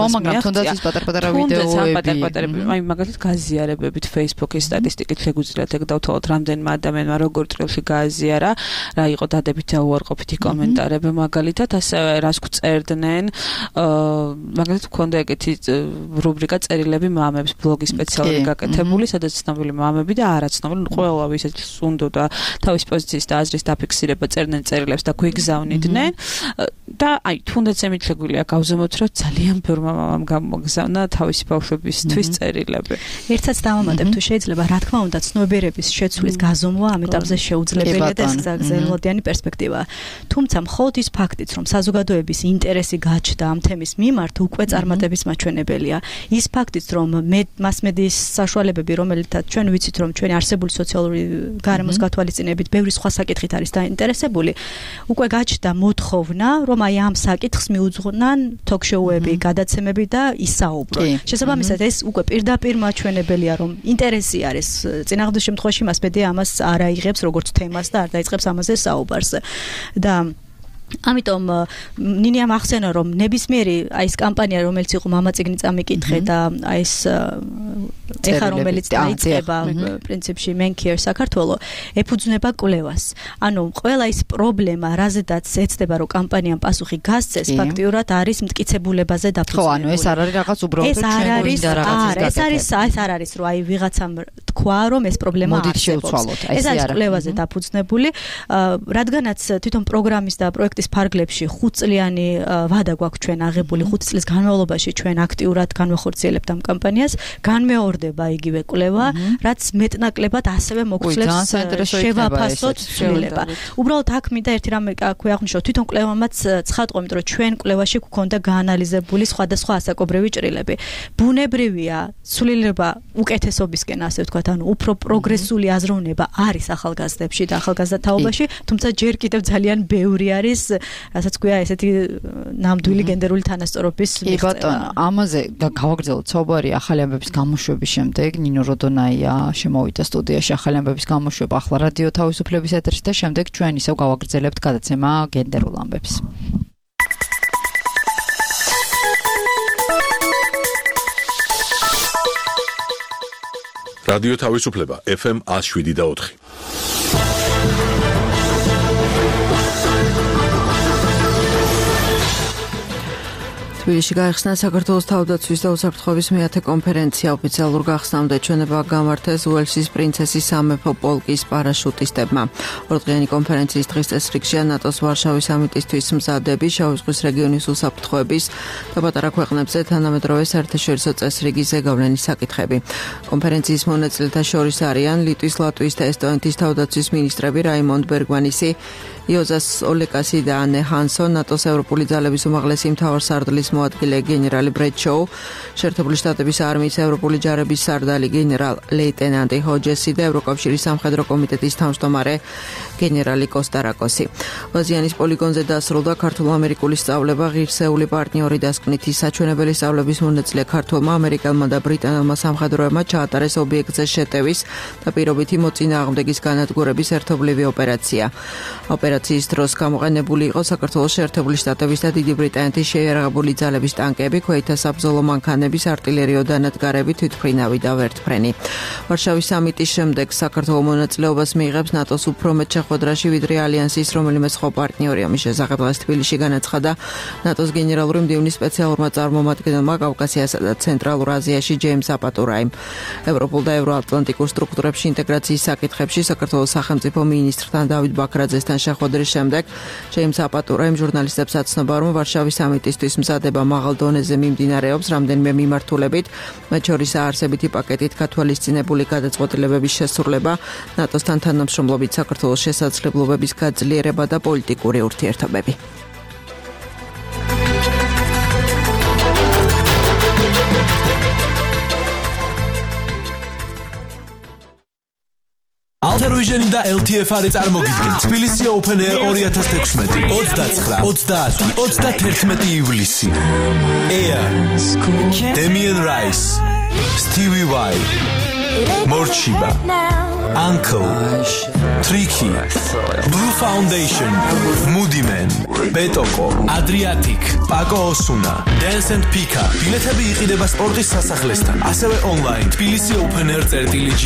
Speaker 3: ხო, მაგრამ თუნდაც ის პატარ-პატარა ვიდეოები
Speaker 5: აი მაგალითად გაზიარებებით Facebook-ის სტატისტიკით შეგვიძლიათ ეგ დავთვალოთ რამდენმა ადამიანმა როგორ ტრილში გააზიარა, რა იყო დადებითი და უარყოფითი კომენტარები მაგალითად, ასევე რას გვწერდნენ, მაგალითად გქონდა ეგეთი რუბრიკა წერილები მამებს, ბლოგი სპეციალური გაკეთებული, სადაც ცნობილი მამები და არაცნობილი, ყველა ვისაც უნდოდა თავის პოზიციის და აზრის დაფიქსირება წერდნენ წერილებს და გვიგზავნიდნენ. და აი თუნდაც ამით შეგვიძლია გავზომოთ, რომ ძალიან ბევრმა მამამ გამოგზავნა თავისი ბავშვებისთვის წერილები.
Speaker 4: ერთსაც დავამატებ თუ შეიძლება, რა თქმა უნდა, ცნობიერების შეცვლის გაზომვა ამ ეტაპზე შეუძლებელია და ეს გრძელვადიანი პერსპექტივაა. თუმცა მხოლოდ ის ფაქტიც, რომ საზოგადოების ინტერესი გაჩნდა ამ თემის მიმართ, უკვე წარმატების მაჩვენებელია. ის ფაქტიც, რომ მასმედიის საშუალებები, რომელთაც ჩვენ ვიცით, რომ ჩვენი არსებული სოციალური გარემოს გათვალისწინებით ბევრი სხვა საკითხით არის დაინტერესებული, უკვე გაჩნდა მოთხოვნა, რომ აი ამ საკითხს მიუძღვნან თოქ-შოუები, გადაცემები და ისაუბრონ. შესაბამისად, ეს უკვე პირდაპირ მაჩვენებელია, რომ ინტერესი არის. წინააღმდეგ შემთხვევაში მასმედია ამას არ აიღებს როგორც თემას და არ დაიწყებს ამაზე საუბარს. და ამიტომ ნინიამ ახსენა, რომ ნებისმიერი აი ეს კამპანია, რომელიც იყო მამაწიგნი წამიკითხე და აი ეს ეხა რომელიც დაიწყება პრინციპში Men Care საქართველოს ეფუძნება კვლევას. ანუ ყველა ის პრობლემა, რაზედაც ეცდება, რომ კამპანიამ პასუხი გასცეს, ფაქტიურად არის მტკიცებულებაზე დაფუძნებული.
Speaker 3: ხო, ანუ ეს არ არის რაღაც უბრალოდ
Speaker 4: ეს არ არის, რომ აი ვიღაცამ თქვა, რომ ეს პრობლემა არსებობს. ეს არის კვლევაზე დაფუძნებული, რადგანაც თვითონ პროგრამის და პროექტის ფარგლებში 5 წლიანი ვადა გვაქვს ჩვენ აღებული 5 წლის განმავლობაში ჩვენ აქტიურად განვახორციელებთ ამ კამპანიას, განმეორდება იგივე კვლევა, რაც მეტნაკლებად ასევე მოგცლებს შევაფასოთ ცვლილება. უბრალოდ აქ მინდა ერთი რამე აქვე აღნიშნო, თვითონ კვლევამაც ცხადყო, იმიტომ რომ ჩვენ კვლევაში გვქონდა გაანალიზებული სხვადასხვა ასაკობრივი ჭრილები. ბუნებრივია ცვლილება უკეთესობისკენ, ასე ვთქვათ, ანუ უფრო პროგრესული აზროვნება არის ახალგაზრდებში და ახალგაზრდა თაობაში, თუმცა ჯერ კიდევ ძალიან ბევრი არის, რასაც ქვია ესეთი ნამდვილი გენდერული თანასწორობის მიღწევა.
Speaker 3: ბატონო, ამაზე გავაგრძელოთ საუბარი ახალი ამბების გამოშვების შემდეგ. ნინო როდონაია შემოვიდა სტუდიაში ახალი ამბების გამოშვება ახლა რადიო თავისუფლების ეთერში და შემდეგ ჩვენ ისევ გავაგრძელებთ გადაცემა გენდერულ ამბებს.
Speaker 1: რადიო თავისუფლება FM 107.4.
Speaker 2: თბილისში გაიხსნა საქართველოს თავდაცვის და უსაფრთხოების მეათე კონფერენცია. ოფიციალურ გახსნამდე ჩვენება გამართეს უელსის პრინცესის სამეფო პოლკის პარაშუტისტებმა. ორდღიანი კონფერენციის დღის წესრიგშია ნატოს ვარშავის სამიტისთვის მზადები, შავი ზღვის რეგიონის უსაფრთხოების და პატარა ქვეყნებზე თანამედროვე საერთაშორისო წესრიგის ზეგავლენის საკითხები. კონფერენციის მონაწილეთა შორის არიან ლიტვის, ლატვიის და ესტონეთის თავდაცვის მინისტრები რაიმონდ ბერგვანისი, იოზას ოლეკასი და ანე ჰანსონ, ნატოს ევროპული ძალების უმაღლესი მთავარსარდლის მოადგილე გენერალი ბრედ შოუ, შეერთებული შტატების არმიის ევროპული ჯარების სარდალი გენერალ ლეიტენანტი ჰოჯესი და ევროკავშირის სამხედრო კომიტეტის თავმჯდომარე გენერალი კოსტარაკოსი. ვაზიანის პოლიგონზე დასრულდა ქართულ-ამერიკული სწავლება, ღირსეული პარტნიორი დასკვნითი საჩვენებელი სწავლების მონაწილე ქართულმა, ამერიკელმა და ბრიტანელმა სამხედროებმა ჩაატარეს ობიექტზე შეტევის და პირობითი მოწინააღმდეგის განადგურების ერთობლივი ოპერაცია. ოპერაციის დროს გამოყენებული იყო საქართველოს შეერთებული შტატების და დიდი ბრიტანეთის შეიარაღებული ძალების ტანკები, ქვეითთა საბრძოლო მანქანების, არტილერიო დანადგარები, თვითმფრინავი და ვერტმფრენი. ვარშავის სამიტის შემდეგ საქართველოს მონაწილეობას მიიღებს ნატოს უფრო მეტ შეხვედრაში, ვიდრე ალიანსის რომელიმე სხვა პარტნიორი. ამის შესახებ დღეს თბილისში განაცხადა ნატოს გენერალური მდივნის სპეციალურმა წარმომადგენელმა კავკასიასა და ცენტრალურ აზიაში ჯეიმს აპატურაიმ. ევროპულ და ევროატლანტიკურ სტრუქტურებში ინტეგრაციის საკითხებში საქართველოს სახელმწიფო მინისტრთან დავით ბაქრაძესთან შეხვედრის შემდეგ ჯეიმს აპატურაიმ ჟურნალისტებს აცნობა, რომ ვარშავის სამიტისთვის მზადება მაღალ დონეზე მიმდინარეობს რამდენიმე მიმართულებით, მათ შორის აარსებითი პაკეტით გათვალისწინებული გადაწყვეტილებების შესრულება, ნატოსთან თანამშრომლობით საქართველოს შესაძლებლობების გაძლიერება და პოლიტიკური ურთიერთობები.
Speaker 6: Alter და LTF-არი წარმოგიდგენ თბილისი Open Air 2016 29-30-31 ივლისი. Air, Damien Rice, Stevie Vai, Morchiba, Uncle, Tricky, Blue Foundation, Moody Man, Betoko, Adriatic, Paco Osuna, Dance and Pika. ბილეთები იყიდება სპორტის სასახლესთან, ასევე online თბილისი Open Air.g.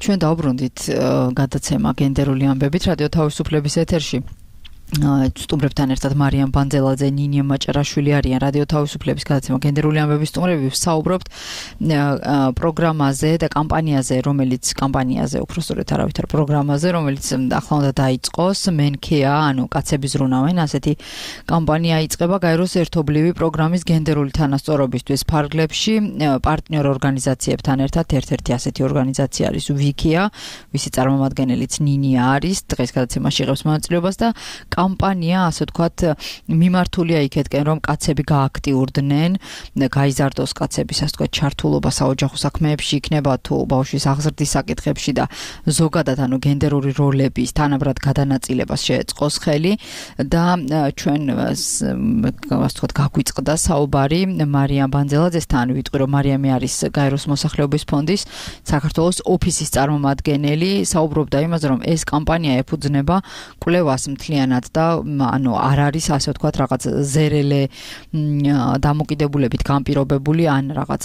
Speaker 3: ჩვენ დავბრუნდით გადაცემა გენდერული ამბებით რადიო თავისუფლების ეთერში. სტუმრებთან ერთად მარიამ ბანძელაძე, ნინია მაჭარაშვილი არიან რადიო თავისუფლების გადაცემა გენდერული ამბების სტუმრები. ვსაუბრობთ პროგრამაზე და კამპანიაზე, რომელიც კამპანიაზე, უბრალოდ არავითარ პროგრამაზე, რომელიც ახლა უნდა დაიწყოს, მენქეა, ანუ კაცები ზრუნავენ, ასეთი კამპანია იწყება გაეროს ერთობლივი პროგრამის გენდერული თანასწორობისთვის ფარგლებში პარტნიორ ორგანიზაციებთან ერთად. ერთ-ერთი ასეთი ორგანიზაცია არის ვიქია, ვისი წარმომადგენელიც ნინია არის. დღეს გადაცემაში იღებს მონაწილეობას და კამპანია, ასე ვთქვათ, მიმართულია იქეთკენ, რომ კაცები გააქტიურდნენ, გაიზარდოს კაცების, ასე ვთქვათ, ჩართულობა საოჯახო საქმეებში, იქნება თუ ბავშვის აღზრდის საკითხებში და ზოგადად, ანუ გენდერული როლების თანაბრად გადანაწილებას შეეწყოს ხელი და ჩვენ, ასე ვთქვათ, გაგვიწყდა საუბარი მარიამ ბანძელაძესთან, ვიტყვი, რომ მარიამი არის გაეროს მოსახლეობის ფონდის საქართველოს ოფისის წარმომადგენელი, საუბრობდა იმაზე, რომ ეს კამპანია ეფუძნება კვლევას მთლიანად და ანუ არ არის ასე ვთქვათ რაღაც ზერელე დამოკიდებულებით განპირობებული ან რაღაც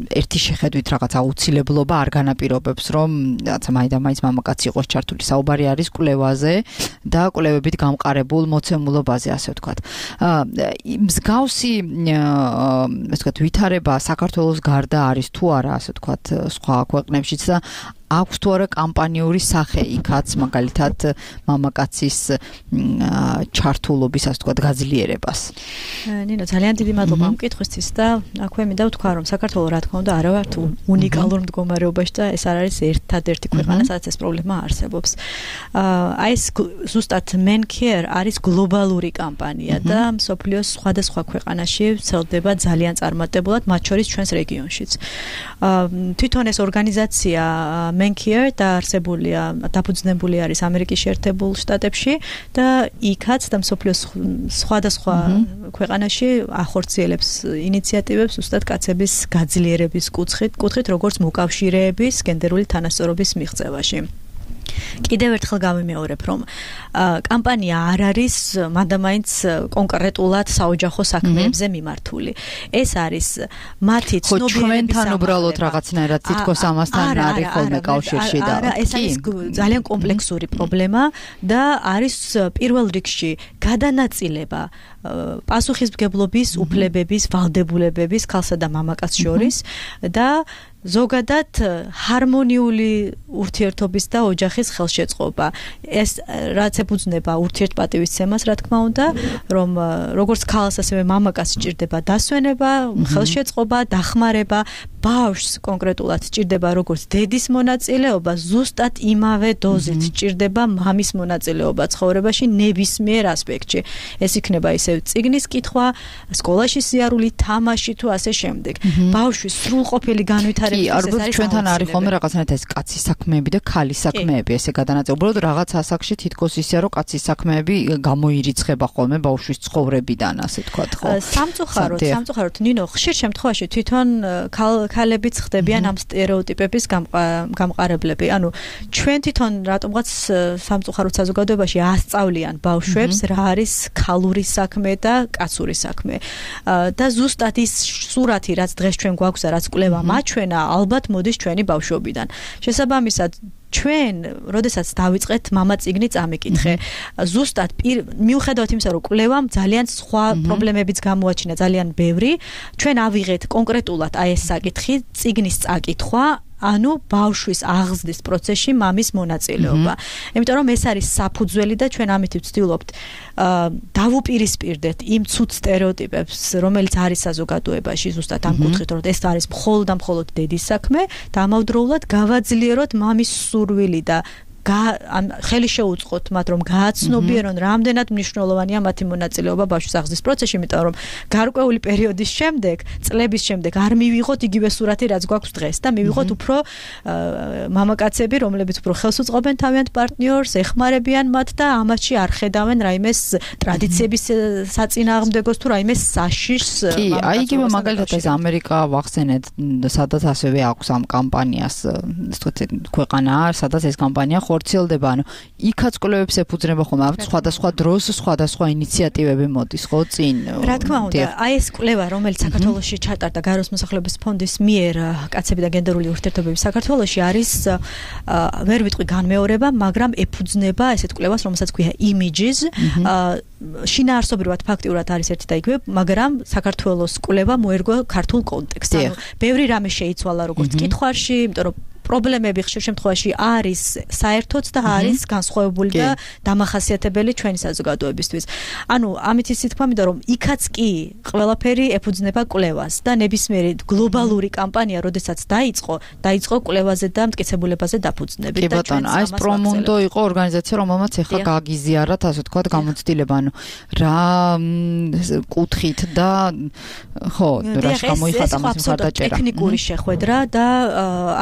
Speaker 3: ერთი შეხედვით რაღაც აუცილებლობა არ განაპირობებს რომ რაღაცა მაინც მამაკაცი იყოს ჩართული. საუბარი არის კვლევაზე და კვლევებით გამყარებულ მოცემულობაზე ასე ვთქვათ. მსგავსი ასე ვთქვათ ვითარება საქართველოს გარდა არის თუ არა ასე ვთქვათ სხვა ქვეყნებშიც და აქვს თუ არა კამპანიური სახე იქაც მაგალითად მამაკაცის ჩართულობის ასე ვთქვათ გაძლიერებას.
Speaker 4: ნინო ძალიან დიდი მადლობა ამ კითხვისთვის და აქვე მინდა ვთქვა რომ საქართველოს რა თქმა უნდა არ ვართ უნიკალურ მდგომარეობაში და ეს არ არის ერთადერთი ქვეყანა სადაც ეს პრობლემა არსებობს. აი ეს ზუსტად Men Care არის გლობალური კამპანია და მსოფლიოს სხვადასხვა ქვეყანაში ვრცელდება ძალიან წარმატებულად, მათ შორის ჩვენს რეგიონშიც. თვითონ ეს ორგანიზაცია Men Care დაარსებულია, დაფუძნებული არის ამერიკის შეერთებულ შტატებში და იქაც და მსოფლიოს სხვადასხვა ქვეყანაში ახორციელებს ინიციატივებს ზუსტად კაცების გაძლიერების კუთხით, როგორც მოკავშირეების გენდერული თანასწორობის მიღწევაში. კიდევ ერთხელ გავიმეორებ, რომ კამპანია არ არის მანდამაინც კონკრეტულად საოჯახო საქმეებზე მიმართული. ეს არის მათი ცნობიერების
Speaker 3: ჩვენთან უბრალოდ რაღაცნაირად თითქოს ამასთან არის ხოლმე კავშირში და
Speaker 4: ეს არის ძალიან კომპლექსური პრობლემა და არის პირველ რიგში გადანაწილება პასუხისმგებლობის უფლებების, ვალდებულებების ქალსა და მამაკაცს შორის და ზოგადად ჰარმონიული ურთიერთობის და ოჯახის ხელშეწყობა. ეს რაც ეფუძნება ურთიერთპატივისცემას, რა თქმა უნდა, რომ როგორც ქალს ასევე მამაკაცს სჭირდება დასვენება, ხელშეწყობა, დახმარება, ბავშვს კონკრეტულად სჭირდება როგორც დედის მონაწილეობა, ზუსტად იმავე დოზით სჭირდება მამის მონაწილეობა ცხოვრებაში ნებისმიერ ასპექტში. ეს იქნება ისე წიგნის კითხვა, სკოლაში სიარული, თამაში თუ ასე შემდეგ. ბავშვის სრულყოფილი განვითარება
Speaker 3: არის ჩვენთან არის ხოლმე რაღაცნაირად ეს კაცის საქმეები და ქალის საქმეები ესე გადანაწილებული. უბრალოდ რაღაც ასაკში თითქოს ისეა რომ კაცის საქმეები გამოირიცხება ხოლმე ბავშვის ცხოვრებიდან ასე თქვათ ხო.
Speaker 4: სამწუხაროდ ნინო ხშირ შემთხვევაში თვითონ ქალებიც ხდებიან ამ სტერეოტიპების გამყარებლები. ანუ ჩვენ თვითონ რატომღაც სამწუხაროდ საზოგადოებაში ასწავლიან ბავშვებს რა არის ქალური საქმე და კაცური საქმე. და ზუსტად ის სურათი რაც დღეს ჩვენ გვაქვს და რაც კვლევა მაჩვენა ალბათ მოდის ჩვენი ბავშვობიდან. შესაბამისად ჩვენ, როდესაც დავიწყეთ მამა წიგნი წამიკითხე, ზუსტად მიუხედავად იმისა, რომ კვლევამ ძალიან სხვა პრობლემებიც გამოაჩინა, ძალიან ბევრი, ჩვენ ავიღეთ კონკრეტულად აი ეს საკითხი, წიგნის წაკითხვა, ანუ ბავშვის აღზრდის პროცესში მამის მონაწილეობა. იმიტომ რომ ეს არის საფუძველი და ჩვენ ამით ვცდილობთ დავუპირისპირდეთ იმ ცუდ სტერეოტიპებს, რომელიც არის საზოგადოებაში ზუსტად ამ კუთხით, რომ ეს არის მხოლოდ და მხოლოდ დედის საქმე და ამავდროულად გავაძლიეროთ მამის სურვილი და ხელი შეუწყოთ მათ რომ გააცნობიერონ რამდენად მნიშვნელოვანია მათი მონაწილეობა ბავშვის აღზრდის პროცესში, იმიტომ რომ გარკვეული პერიოდის შემდეგ, წლების შემდეგ არ მივიღოთ იგივე სურათი რაც გვაქვს დღეს და მივიღოთ უფრო მამაკაცები, რომლებიც უფრო ხელს უწყობენ თავიანთ პარტნიორს, ეხმარებიან მათ და ამაში არ ხედავენ რაიმეს ტრადიციების საწინააღმდეგოს თუ რაიმეს საშიშს.
Speaker 3: კი, აი იგივე მაგალითად ეს ამერიკა ვახსენეთ, სადაც ასევე აქვს ამ კამპანიას, ქვეყანა, სადაც ეს კამპანია ხორციელდება, ანუ იქაც კვლევებს ეფუძნება ხოლმე სხვადასხვა დროს სხვადასხვა ინიციატივები მოდის ხო წინ.
Speaker 4: რა თქმა უნდა, აი ეს კვლევა, რომელიც საქართველოში ჩატარდა გარემოს მოსახლეობის ფონდის მიერ კაცები და გენდერული ურთიერთობები საქართველოში არის ვერ ვიტყვი განმეორება, მაგრამ ეფუძნება ესეთ კვლევას, რომელსაც ქვია Images. შინაარსობრივად ფაქტიურად არის ერთი და იგივე, მაგრამ საქართველოს კვლევა მოერგო ქართულ კონტექსტს. ანუ ბევრი რამე შეიცვალა როგორც კითხვაში, იმიტომ რომ პრობლემები ხშირ შემთხვევაში არის საერთოც და არის განსხვავებული და დამახასიათებელი ჩვენი საზოგადოებისთვის. ანუ ამით ისე თქვა, იმიტომ რომ იქაც კი ყველაფერი ეფუძნება კვლევას და ნებისმიერი გლობალური კამპანია, როდესაც დაიწყო კვლევაზე და მტკიცებულებაზე დაფუძნებით.
Speaker 3: კი ბატონო, აი ეს პრომუნდო იყო ორგანიზაცია, რომელმაც ახლა გააგიზიარათ, ასე ვთქვათ, გამოცდილება, ანუ რა კუთხით და ხო, რა გამოიხატა მას მხარდაჭერა.
Speaker 4: ტექნიკური შეხვედრა და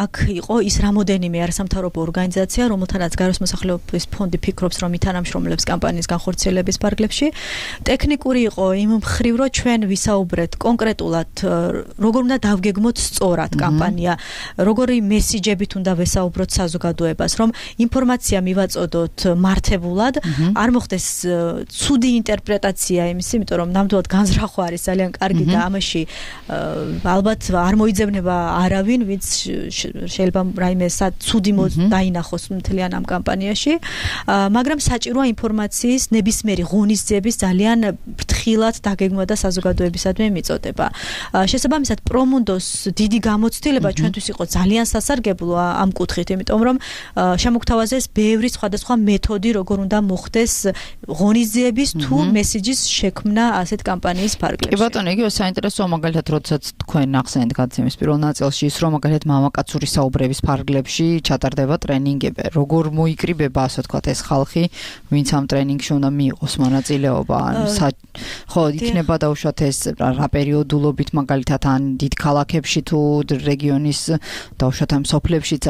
Speaker 4: აქ იყო ის რამოდენიმე არასამთავრობო ორგანიზაცია, რომელთანაც გარემოს მოსახლეობის ფონდი ფიქრობს, რომ ითანამშრომლებს კამპანიის განხორციელების ფარგლებში. ტექნიკური იყო იმ მხრივ, რომ ჩვენ ვისაუბრეთ კონკრეტულად, როგორ უნდა დავგეგმოთ სწორად კამპანია, როგორი მესიჯებით უნდა ვესაუბროთ საზოგადოებას, რომ ინფორმაცია მივაწოდოთ მართებულად, არ მოხდეს ცუდი ინტერპრეტაცია იმის, იმიტომ რომ ნამდვილად განზრახვა არის ძალიან კარგი და ამაში ალბათ არ მოიძებნება არავინ, ვინც შეიძლება რაიმე ცუდი დაინახოს მთლიან ამ კამპანიაში, მაგრამ საჭიროა ინფორმაციის ნებისმიერი ღონისძიების ძალიან ფრთხილად დაგეგმვა და საზოგადოებისადმი მიწოდება. შესაბამისად, პრომუნდოს დიდი გამოცდილება ჩვენთვის იყო ძალიან სასარგებლო ამ კუთხით, იმიტომ რომ შემოგთავაზეს ბევრი სხვადასხვა მეთოდი, როგორ უნდა მოხდეს ღონისძიების თუ მესიჯის შექმნა ასეთ კამპანიის ფარგლებში.
Speaker 3: კი ბატონო, იგივე საინტერესოა მაგალითად, როდესაც თქვენ ახსენეთ გადაცემის პირველ ნაწილში ის, რომ მაგალითად მამაკაცური საუბრების ფარგლებში ჩატარდება ტრენინგები. როგორ მოიკრიბება, ასე ვთქვათ, ეს ხალხი, ვინც ამ ტრენინგში უნდა მიიღოს მონაწილეობა? ხო, იქნება დაუშვათ ეს რა პერიოდულობით მაგალითად ან დიდ ქალაქებში თუ რეგიონის დაუშვათ ამ სოფლებშიც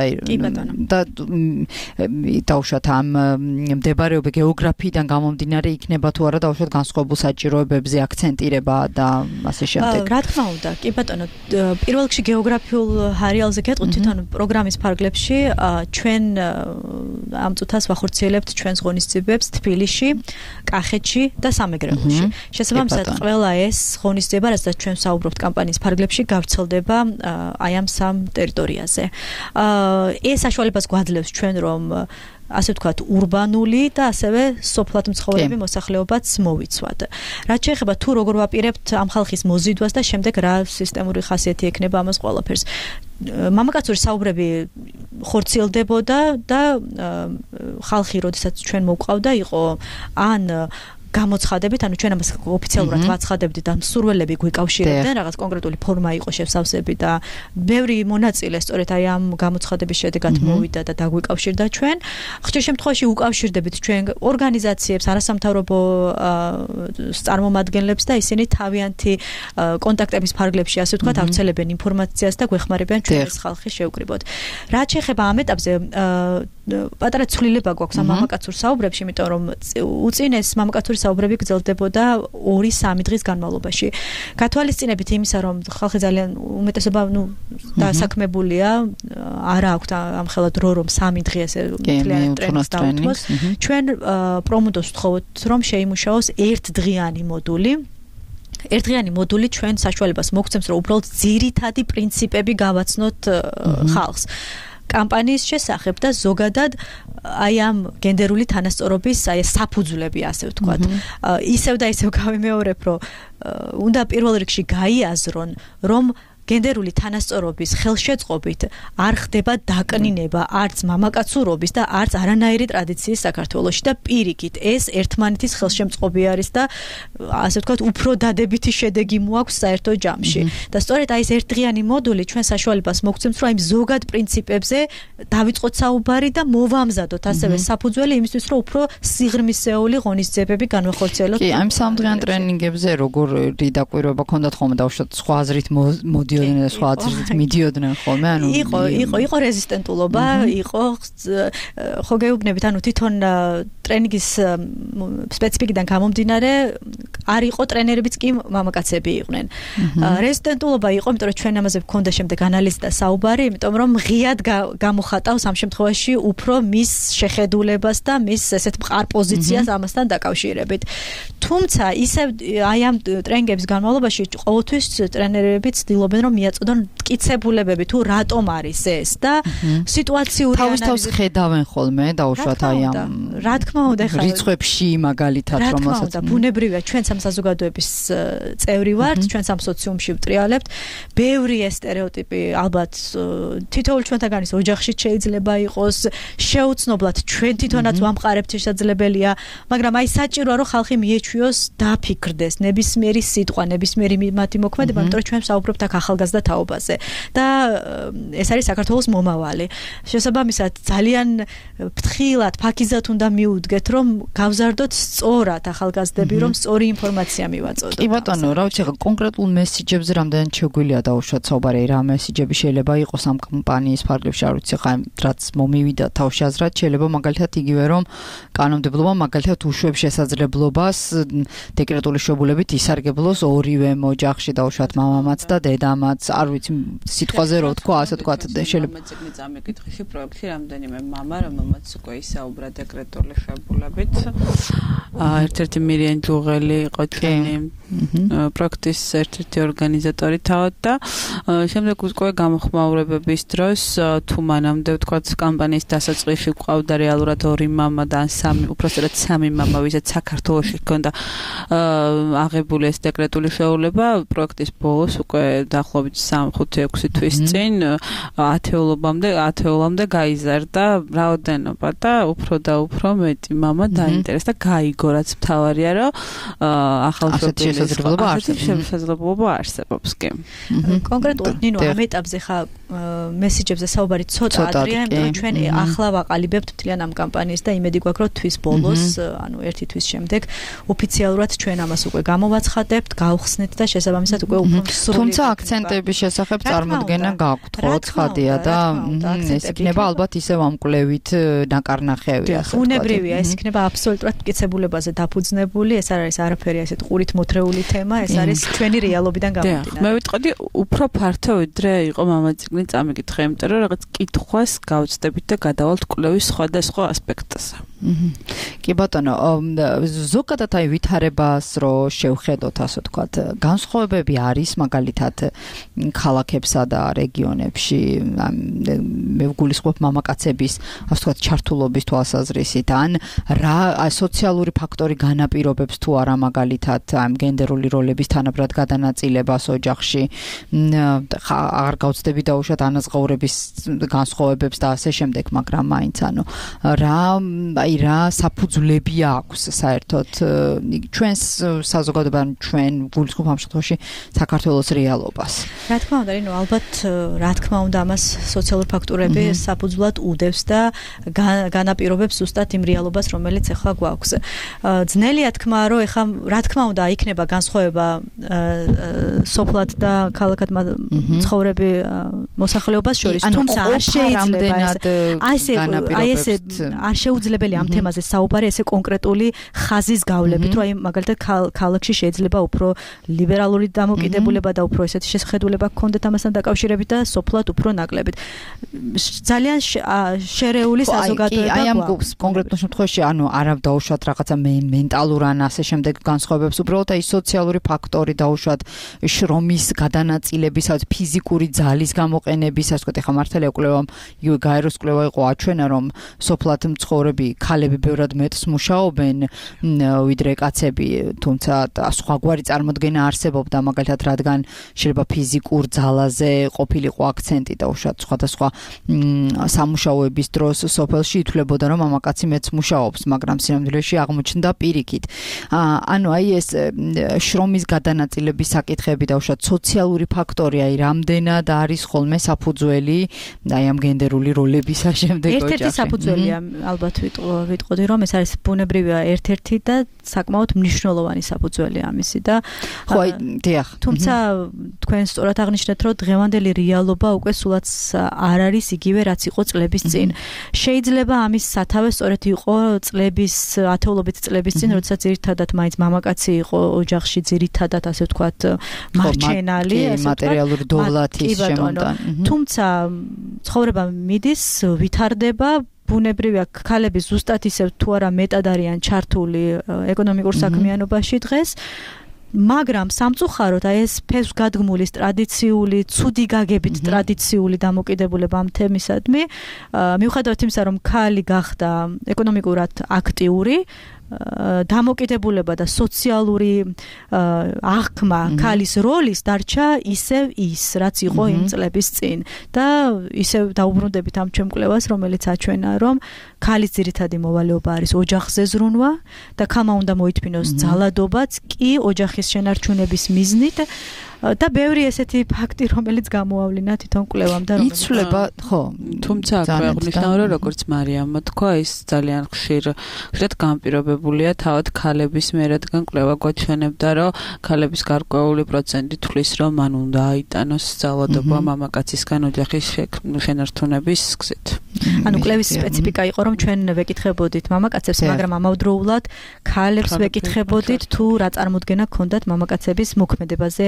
Speaker 3: და დაუშვათ ამ მდებარეობა გეოგრაფიიდან გამომდინარე იქნება თუ არა დაუშვათ განსხვავებულ საჭიროებებზე აქცენტირება და ასე შემდეგ.
Speaker 4: რა თქმა უნდა, კი ბატონო, პირველ რიგში გეოგრაფიულ არეალზე გეტყვით თვითონ პროგრამის ფარგლებში ჩვენ ამ წუთას ვახორციელებთ ჩვენს ღონისძიებებს თბილისში, კახეთში და სამეგრელოში. შესაბამისად, ყველა ეს ღონისძიება, რასაც ჩვენ საუბრობთ კამპანიის ფარგლებში, გავრცელდება აი ამ სამ ტერიტორიაზე. ეს საშუალებას გვაძლევს ჩვენ რომ ასე ვთქვათ, ურბანული და ასევე სოფლად მცხოვრები მოსახლეობაც მოვიცვათ. რაც შეეხება თუ როგორ ვაპირებთ ამ ხალხის მოზიდვას და შემდეგ რა სისტემური ხასიათი ექნება ამას ყველაფერს. მამაკაცური საუბრები ხორციელდებოდა და ხალხი, როდესაც ჩვენ მოვყავდა, იყო ან გამოცხადებით, ანუ ჩვენ ამას ოფიციალურად ვაცხადებდით და მსურველები გვიკავშირებდნენ, რაღაც კონკრეტული ფორმა იყო შესავსები და ბევრი მონაწილე სწორედ აი ამ გამოცხადების შედეგად მოვიდა და დაგვიკავშირდა ჩვენ. ხშირ შემთხვევაში უკავშირდებით ჩვენ ორგანიზაციებს, არასამთავრობო წარმომადგენლებს და ისინი თავიანთი კონტაქტების ფარგლებში, ასე ვთქვათ, ავრცელებენ ინფორმაციას და გვეხმარებიან ჩვენ ეს ხალხი შევკრიბოთ. რაც შეეხება ამ ეტაპზე, პატარა ცვლილება გვაქვს ამ მამაკაცურ საუბრებში, იმიტომ რომ უწინეს მამაკაცური საუბრები გრძელდებოდა 2-3 დღის განმავლობაში. გათვალისწინებით იმისა, რომ ხალხი ძალიან უმეტესობა დასაქმებულია, არა აქვთ ამხელა დრო, რომ 3 დღე ესე მთლიანად ტრენინგს დაუთმოს. ჩვენ პრომუდოს ვთხოვთ, რომ შეიმუშაოს ერთდღიანი მოდული. ერთდღიანი მოდული ჩვენ საშუალებას მოგცემს, რომ უბრალოდ ძირითადი პრინციპები გავაცნოთ ხალხს. კამპანიის შესახებ და ზოგადად აი ამ გენდერული თანასწორობის აი საფუძვლები, ასე ვთქვათ. ისევ და ისევ გავიმეორებ, რომ უნდა პირველ რიგში გაიაზრონ, რომ გენდერული თანასწორობის ხელშეწყობით არ ხდება დაკნინება არც მამაკაცურობის და არც არანაირი ტრადიციის საქართველოში და პირიქით ეს ერთმანეთის ხელშემწყობი არის და ასე ვთქვათ უფრო დადებითი შედეგი მოაქვს საერთო ჯამში. და სწორედ აი ეს ერთდღიანი მოდული ჩვენ საშუალებას მოგცემს, რომ აი ზოგად პრინციპებზე დავიწყოთ საუბარი და მოვამზადოთ ასევე საფუძველი იმისთვის, რომ უფრო სიღრმისეული ღონისძიებები განვახორციელოთ.
Speaker 3: კი, ამ სამდღიან ტრენინგებზე როგორი დაკვირვება ქონდათ ხოლმე დაუშვათ სხვა აზრით მოდიოდნენ, სხვა აზრით მიდიოდნენ ხოლმე, ანუ
Speaker 4: იყო რეზისტენტულობა, იყო ხო გეუბნებით, ანუ თვითონ ტრენინგის სპეციფიკიდან გამომდინარე არ იყო ტრენერებიც კი მამაკაცები იყვნენ. რეზისტენტულობა იყო, იმიტომ რომ ჩვენ ამაზე გქონდა შემდეგ ანალიზი და საუბარი, იმიტომ რომ ღიად გამოხატავს ამ შემთხვევაში უფრო მის შეხედულებას და მის ესეთ მყარ პოზიციას ამასთან დაკავშირებით. თუმცა ისე აი ამ ტრენინგების განმავლობაში ყოველთვის ტრენერები ცდილობენ რომ მიაწოდონ მტკიცებულებები თუ რატომ არის ეს და სიტუაციური
Speaker 3: ანალიზი თავს ხედავენ ხოლმე დაუშვათ აი ამ
Speaker 4: რა თქმა უნდა ხა
Speaker 3: რიცხვებში მაგალითად რომელსაც
Speaker 4: ბუნებრივია ჩვენ სამ საზოგადოების წევრი ვართ ჩვენ სამ სოციუმში ვტრიალებთ ბევრი ეს სტერეოტიპი ალბათ თითოეულ ჩვენთაგანის ოჯახში შეიძლება იყოს შეუცნობლად ჩვენ თვითონაც ვამყარებთ შესაძლებელია მაგრამ აი საჭიროა რომ ხალხი მიეჩვიოს დაფიქრდეს ნებისმიერი სიტყვა ნებისმიერი მათი მოქმედება იმიტომ რომ ჩვენ საუბრობთ აქ ახალგაზრდა თაობაზე და ეს არის საქართველოს მომავალი შესაბამისად ძალიან ფრთხილად ფაქიზად უნდა მიუდგეთ რომ გავზარდოთ სწორად ახალგაზრდები რომ სწორი ინფორმაცია მივაწოდოთ.
Speaker 3: კი ბატონო, რა ვიცი, კონკრეტულ მესიჯებზე რამდენად შეგვიძლია დაუშვათ საუბარი, რა მესიჯები შეიძლება იყოს ამ კამპანიის ფარგლებში, არ ვიცი, ხა რაც მომივიდა თავში აზრად, შეიძლება მაგალითად იგივე რომ კანონმდებლობა მაგალითად უშვებს შესაძლებლობას დეკრეტული შვებულებით ისარგებლოს ორივე ოჯახში დაუშვათ მამამაც და დედამაც მამაც, არ ვიცი, სიტყვაზე რო თქვა, ასე თქვა, შეიძლება
Speaker 5: მეციგნი წამიკითხში პროექტში რამდენიმე მამა, რომელმაც უკვე ისაუბრა დეკრეტული ღებულებით. ერთ-ერთი მირიან ჯუღელი იყო ჩვენი პროექტის ერთ-ერთი ორგანიზატორი თავად და შემდეგ უკვე გამოხმაურებების დროს თუ მანამდე ვთქვათ კამპანიის დასაწყისში ყავდა რეალურად 2 მამა და ან 3, უпроსტად 3 მამა, ვისაც საქართველოში ჰქონდა აღებული ეს დეკრეტული შეუძლება, პროექტის ბოლოს უკვე დაახლოებით 3-5-6 თვის წინ 10-ამდე გაიზარდა რაოდენობა და უფრო მეტი მამა დაინტერესდა, გაიგო რაც მთავარია, რომ ახალშობილის შესაძლებლობა არსებობს კი.
Speaker 4: კონკრეტულად ნინო ამ ეტაპზე ხა მესიჯებზე საუბარი ცოტა ადრეა, იმიტომ ჩვენ ახლა ვაყალიბებთ მთლიან ამ კამპანიას და იმედი გვაქვს, რომ თვის ბოლოს, ანუ 1 თვის შემდეგ ოფიციალურად ჩვენ ამას უკვე გამოვაცხადებთ, გავხსნით და შესაბამისად უკვე უფრო სრული.
Speaker 3: თუმცა აქცენტების შესახებ წარმოდგენა გაქვთ, ხო, ცხადია და ეს იქნება ალბათ ისევ ამ კვლევით ნაკარნახევი, ასე ვთქვათ.
Speaker 4: უნებრივია, ეს იქნება აბსოლუტურად მტკიცებულებაზე დაფუძნებული, ეს არ არის არაფერი ასეთ ყურით მოთრეული თემა, ეს არის ჩვენი რეალობიდან გამომდინარე.
Speaker 5: მე ვიტყოდი უფრო ფართო ვიდრე იყო მამაციგნი წამიკითხე, იმიტომ რომ რაღაც კითხვას გავწდებით და გადავალთ კვლევის სხვადასხვა ასპექტზე.
Speaker 3: კი ბატონო, ზოგადად აი ვითარებას რო შევხედოთ, ასე ვთქვათ, განსხვავებები არის მაგალითად ქალაქებსა და რეგიონებში, მე ვგულისხმობ მამაკაცების, ასე ვთქვათ, ჩართულობის თვალსაზრისით, ან რა სოციალური ფაქტორი განაპირობებს თუ არა მაგალითად ამ გენდერული როლების თანაბრად გადანაწილებას ოჯახში, აღარ გავწდები დაუშვათ ანაზღაურების განსხვავებებს და ასე შემდეგ, მაგრამ მაინც ანუ რა საფუძვლები აქვს საერთოდ ჩვენს საზოგადოებამ, ჩვენ გულისხმობ ამ შემთხვევაში საქართველოს რეალობას.
Speaker 4: რა თქმა უნდა, ნინო, ალბათ რა თქმა უნდა ამას სოციალური ფაქტორები საფუძვლად უდევს და განაპირობებს ზუსტად იმ რეალობას, რომელიც ახლა გვაქვს. ძნელია თქმა, რომ ახლა რა თქმა უნდა იქნება განსხვავება სოფლად და ქალაქად ცხოვრები მოსახლეობას შორის, თუმცა არ შეიძლება არ შეუძლებელი ამ თემაზე საუბარი ესე კონკრეტული ხაზის გავლებით, რომ აი მაგალითად ქალაქში შეიძლება უფრო ლიბერალური დამოკიდებულება და უფრო ესეთი შესაძლებლობა გქონდეთ ამასთან დაკავშირებით და სოფლად უფრო ნაკლებით. ძალიან შერეული საზოგადოება
Speaker 3: აი ამ კონკრეტულ შემთხვევაში ანუ არ დავუშვათ რაღაცა მენტალურ ან ასე შემდეგ განსხვავებებს, უბრალოდ აი სოციალური ფაქტორი დავუშვათ შრომის გადანაწილების, ფიზიკური ძალის გამოყენების, ასე ვთქვათ, ახლა მართალია კვლევამ იგივე გაეროს კვლევა იყო აჩვენა, რომ სოფლად მცხოვრები ქალები ბევრად მეტს მუშაობენ ვიდრე კაცები, თუმცა სხვაგვარი წარმოდგენა არსებობდა, მაგალითად რადგან შეიძლება ფიზიკურ ძალაზე ყოფილიყო აქცენტი და უშუალოდ სხვადასხვა სამუშაოების დროს სოფელში ითვლებოდა, რომ მამაკაცი მეც მუშაობს, მაგრამ სინამდვილეში აღმოჩნდა პირიქით. ანუ აი ეს შრომის გადანაწილების საკითხები და უშუალოდ სოციალური ფაქტორი, აი რამდენად არის ხოლმე საფუძველი აი ამ გენდერული როლებისა შემდეგ ოჯახში.
Speaker 4: ერთ-ერთი საფუძველია ალბათ ვიტყოდი, რომ ეს არის ბუნებრივია ერთ-ერთი და საკმაოდ მნიშვნელოვანი საფუძველი ამისი და
Speaker 3: ხო, დიახ.
Speaker 4: თუმცა თქვენ სწორად აღნიშნეთ, რომ დღევანდელი რეალობა უკვე სულაც არ არის იგივე, რაც იყო წლების წინ. შეიძლება ამის სათავე სწორედ იყო წლების, ათეულობით წლების წინ, როდესაც ძირითადად მაინც მამაკაცი იყო ოჯახში, ძირითადად ასე ვთქვათ, მარჩენალი,
Speaker 3: მატერიალური დოვლათის შემოტან.
Speaker 4: თუმცა ცხოვრება მიდის, ვითარდება, ბუნებრივია ქალები ზუსტად ისევ თუ არა მეტად არიან ჩართული ეკონომიკურ საქმიანობაში დღეს, მაგრამ სამწუხაროდ აი ეს ფესვგადგმულის ტრადიციული, ცუდი გაგებით ტრადიციული დამოკიდებულება ამ თემისადმი, მიუხედავად იმისა, რომ ქალი გახდა ეკონომიკურად აქტიური, დამოკიდებულება და სოციალური აღქმა ქალის როლის დარჩა ისევ ის, რაც იყო იმ წლების წინ და ისევ დაუბრუნდებით ამ ჩემ კვლევას, რომელიც აჩვენა, რომ ქალის ძირითადი მოვალეობა არის ოჯახზე ზრუნვა და ქალმა უნდა მოითმინოს ძალადობაც კი ოჯახის შენარჩუნების მიზნით და ბევრი ესეთი ფაქტი, რომელიც გამოავლინა თვითონ კვლევამ და რომელიც
Speaker 3: იცვლება, ხო,
Speaker 5: თუმცა აღნიშნავ, რომ როგორც მარიამმა თქვა, ის ძალიან ხშირად განპირობებულია თავად ქალების მიერ, რადგან კვლევა გვაჩვენებდა, რომ ქალების გარკვეული პროცენტი თვლის, რომ მან უნდა აიტანოს ძალადობა მამაკაცისგან ოჯახის შენარჩუნების გზით.
Speaker 4: ანუ კვლევის სპეციფიკა იყო, რომ ჩვენ ვეკითხებოდით მამაკაცებს, მაგრამ ამავდროულად ქალებს ვეკითხებოდით, თუ რა წარმოდგენა ჰქონდათ მამაკაცების მოქმედებაზე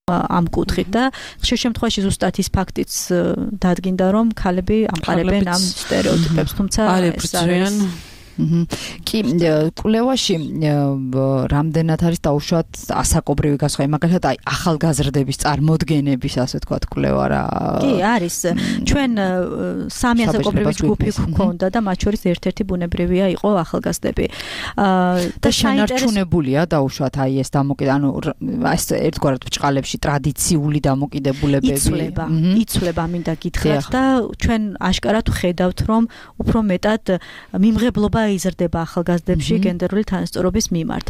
Speaker 4: ამ კუთხით და ხშირ შემთხვევაში ზუსტად ის ფაქტიც დადგინდა რომ ქალები ამყარებენ ამ სტერეოტიპებს თუმცა
Speaker 5: ეს არის
Speaker 3: კი კვლევაში რამდენად არის დაუშვათ ასაკობრივი გასხვავება მაგალითად აი ახალგაზრდების წარმოდგენების ასე ვთქვათ კვლევა რა
Speaker 4: კი არის ჩვენ სამი ასაკობრივი ჯგუფი გვქონდა და მათ შორის ერთ-ერთი ბუნებრივია იყო ახალგაზრდები
Speaker 3: და შენარჩუნებულია დაუშვათ აი ეს დამოკიდე ანუ ეს ერთგვარად ბჭყალებში ტრადიციული დამოკიდებულებები
Speaker 4: იცვლება მინდა გითხრათ და ჩვენ აშკარად ვხედავთ რომ უფრო მეტად მიმღებლობა იზრდება ახალგაზრდებში გენდერული თანასწორობის მიმართ.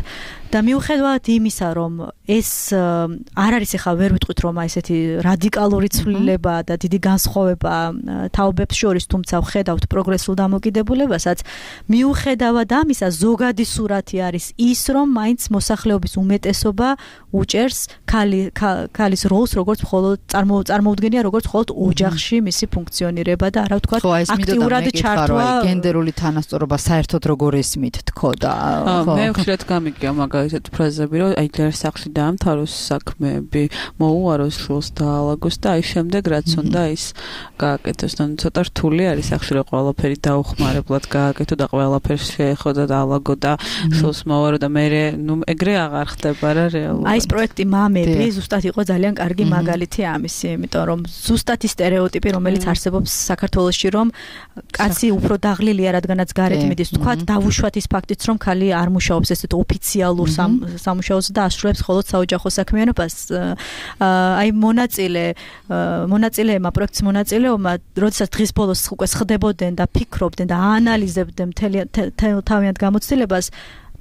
Speaker 4: და მიუხედავად იმისა, რომ ეს არ არის ახლა ვერ ვიტყვით რომ აი ესეთი რადიკალური ცვლილება და დიდი განსხვავება თაობებს შორის, თუმცა ვხედავთ პროგრესულ დამოკიდებულებასაც, მიუხედავად ამისა ზოგადი სურათი არის ის, რომ მაინც მოსახლეობის უმეტესობა უჭერს ქალის როლს, როგორც მხოლოდ წარმოუდგენია როგორც მხოლოდ ოჯახში მისი ფუნქციონირება და არა ვთქვათ აქტიურად ჩართვა
Speaker 3: გენდერული თანასწორობა საერთოდ როგორ ესმით თქო და
Speaker 5: მე ხშირად გამიგია მაგალითად ფრაზები რომ აი ჯერ სახლში დაამთავროს საქმეები მოუაროს შულს დაალაგოს და აი შემდეგ რაც უნდა ის გააკეთოს და ცოტა რთული არის სახლში რომ ყველაფერი დაუხმარებლად გააკეთო და ყველაფერს შეეხო და დაალაგო და შულს მოუარო და მე ნუ ეგრე აღარ ხდება რა რეალურად
Speaker 4: აი ეს პროექტი მამები ზუსტად იყო ძალიან კარგი მაგალითი ამისი იმიტომ რომ ზუსტად ის სტერეოტიპი რომელიც არსებობს საქართველოში რომ კაცი უფრო დაღლილია რადგანაც გარეთ მიდის თქვათ დავუშვათ ის ფაქტიც რომ ქალი არ მუშაობს ესეთ ოფიციალურ სამუშაოზე და ასრულებს მხოლოდ საოჯახო საქმიანობას აი მონაწილეებმა პროექტის მონაწილეებმა როდესაც დღის ბოლოს უკვე ხდებოდნენ და ფიქრობდნენ და აანალიზებდნენ თავიანთ გამოცდილებას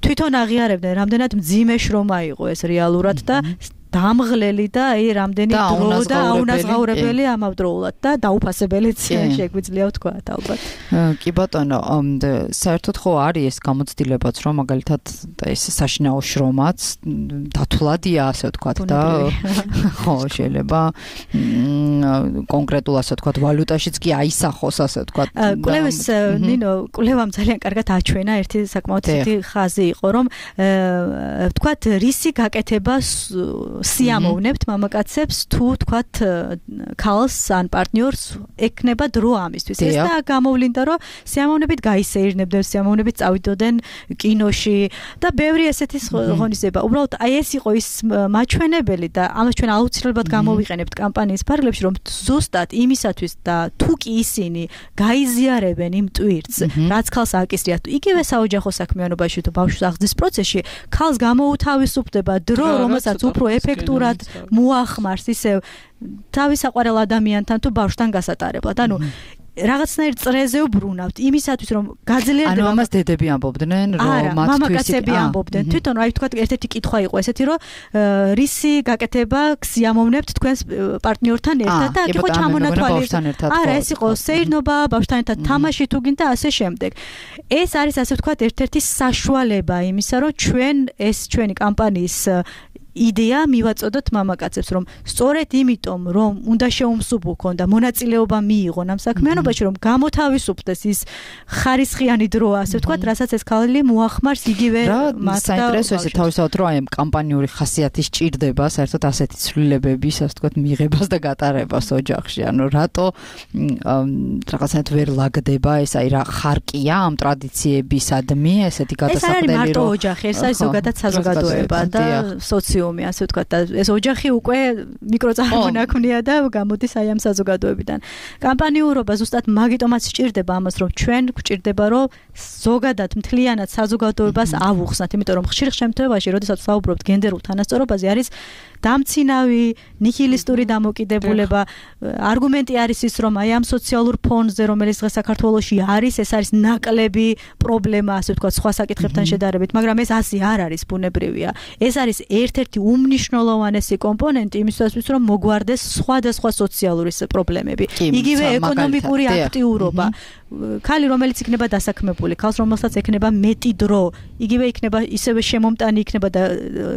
Speaker 4: თვითონ აღიარებდნენ რამდენად მძიმე შრომა იყო ეს რეალურად და დამღლელი და აი რამდენი დრო და აუნაზღაურებელი ამავდროულად და დაუფასებელიც შეგვიძლია ვთქვათ ალბათ.
Speaker 3: კი ბატონო, საერთოდ ხო არის ეს გამოცდილებაც რომ მაგალითად ეს საშინაო შრომაც დათვლადია ასე ვთქვათ და ხო შეიძლება კონკრეტულ ასე ვთქვათ ვალუტაშიც კი აისახოს ასე ვთქვათ.
Speaker 4: კვლევის ნინო კვლევამ ძალიან კარგად აჩვენა ერთი საკმაოდ ცივი ხაზი იყო რომ ვთქვათ რისი გაკეთება სიამოვნებთ მამაკაცებს თუ თქვათ ქალს ან პარტნიორს ეკნება დრო ამისთვის. ეს და გამოვლინდა რომ სიამოვნებით გაისეირნებდნენ, სიამოვნებით წავიდოდნენ კინოში და ბევრი ესეთი ღონისძიება. უბრალოდ აი ეს იყო ის მაჩვენებელი და ამას ჩვენ აუცილებლად გამოვიყენებთ კამპანიის ფარგლებში რომ ზუსტად იმისათვის და თუ კი ისინი გაიზიარებენ იმ ტვირთს, რაც ქალს აკისრიათ, იგივე საოჯახო საქმიანობაში თუ ბავშვის აღზრდის პროცესში ქალს გამოუთავისუფლდება დრო, რომელსაც უფრო ეფექტურად მოახმარს ისევ თავის საყვარელ ადამიანთან თუ ბავშვთან გასატარებლად. ანუ რაღაცნაირ წრეზე ვბრუნავთ იმისათვის რომ გაძლიერდება.
Speaker 3: ანუ ამას დედები ამბობდნენ რომ
Speaker 4: მამაკაცები ამბობდნენ. თვითონ აი თქვა ერთ-ერთი კითხვა იყო ესეთი რომ რისი გაკეთება გსიამოვნებთ თქვენს პარტნიორთან ერთად და იყო ჩამონათვალი. არა, ეს იყო სეირნობა, ბავშვთან ერთად თამაში თუ გინდა ასე შემდეგ. ეს არის ასე ვთქვათ ერთ-ერთი საშუალება იმისა რომ ჩვენ ეს ჩვენი კამპანიის იდეა მივაწოდოთ მამაკაცებს რომ სწორედ იმიტომ რომ უნდა შეუმსუბუქონ და მონაწილეობა მიიღონ ამ საქმიანობაში რომ გამოთავისუფლდეს ის ხარისხიანი დრო ასე ვთქვათ რასაც ეს ქალი მოახმარს იგივე მათ და
Speaker 3: საინტერესო ესე თავისთავად რომ აი ამ კამპანიური ხასიათი სჭირდება საერთოდ ასეთი ცვლილებების ასე ვთქვათ მიღებას და გატარებას ოჯახში ანუ რატო რაღაცნაირად ვერ ლაგდება ეს აი რა ხარკია ამ ტრადიციებისადმი ესეთი გადასაყრდელი
Speaker 4: რომ ეს არის მარტო ოჯახი ეს არის ზოგადად საზოგადოება და სოციუმი ასე ვთქვათ და ეს ოჯახი უკვე მიკროწარმონაქმნია და გამოდის აი ამ საზოგადოებიდან. კამპანიურობა ზუსტად მაგიტომაც სჭირდება ამას რომ ჩვენ გვჭირდება რომ ზოგადად მთლიანად საზოგადოებას ავუხსნათ, იმიტომ რომ ხშირ შემთხვევაში როდესაც ვსაუბრობთ გენდერულ თანასწორობაზე არის დამცინავი ნიჰილისტური დამოკიდებულება. არგუმენტი არის ის რომ აი ამ სოციალურ ფონზე რომელიც დღეს საქართველოში არის ეს არის ნაკლები პრობლემა ასე ვთქვათ სხვა საკითხებთან შედარებით, მაგრამ ეს ასე არ არის ბუნებრივია. ეს არის ერთ-ერთი უმნიშვნელოვანესი კომპონენტი იმისათვის რომ მოგვარდეს სხვადასხვა სოციალური პრობლემები. იგივე ეკონომიკური აქტიურობა. ქალი რომელიც იქნება დასაქმებული, ქალს რომელსაც ექნება მეტი დრო, იგივე იქნება ისევე შემომტანი იქნება და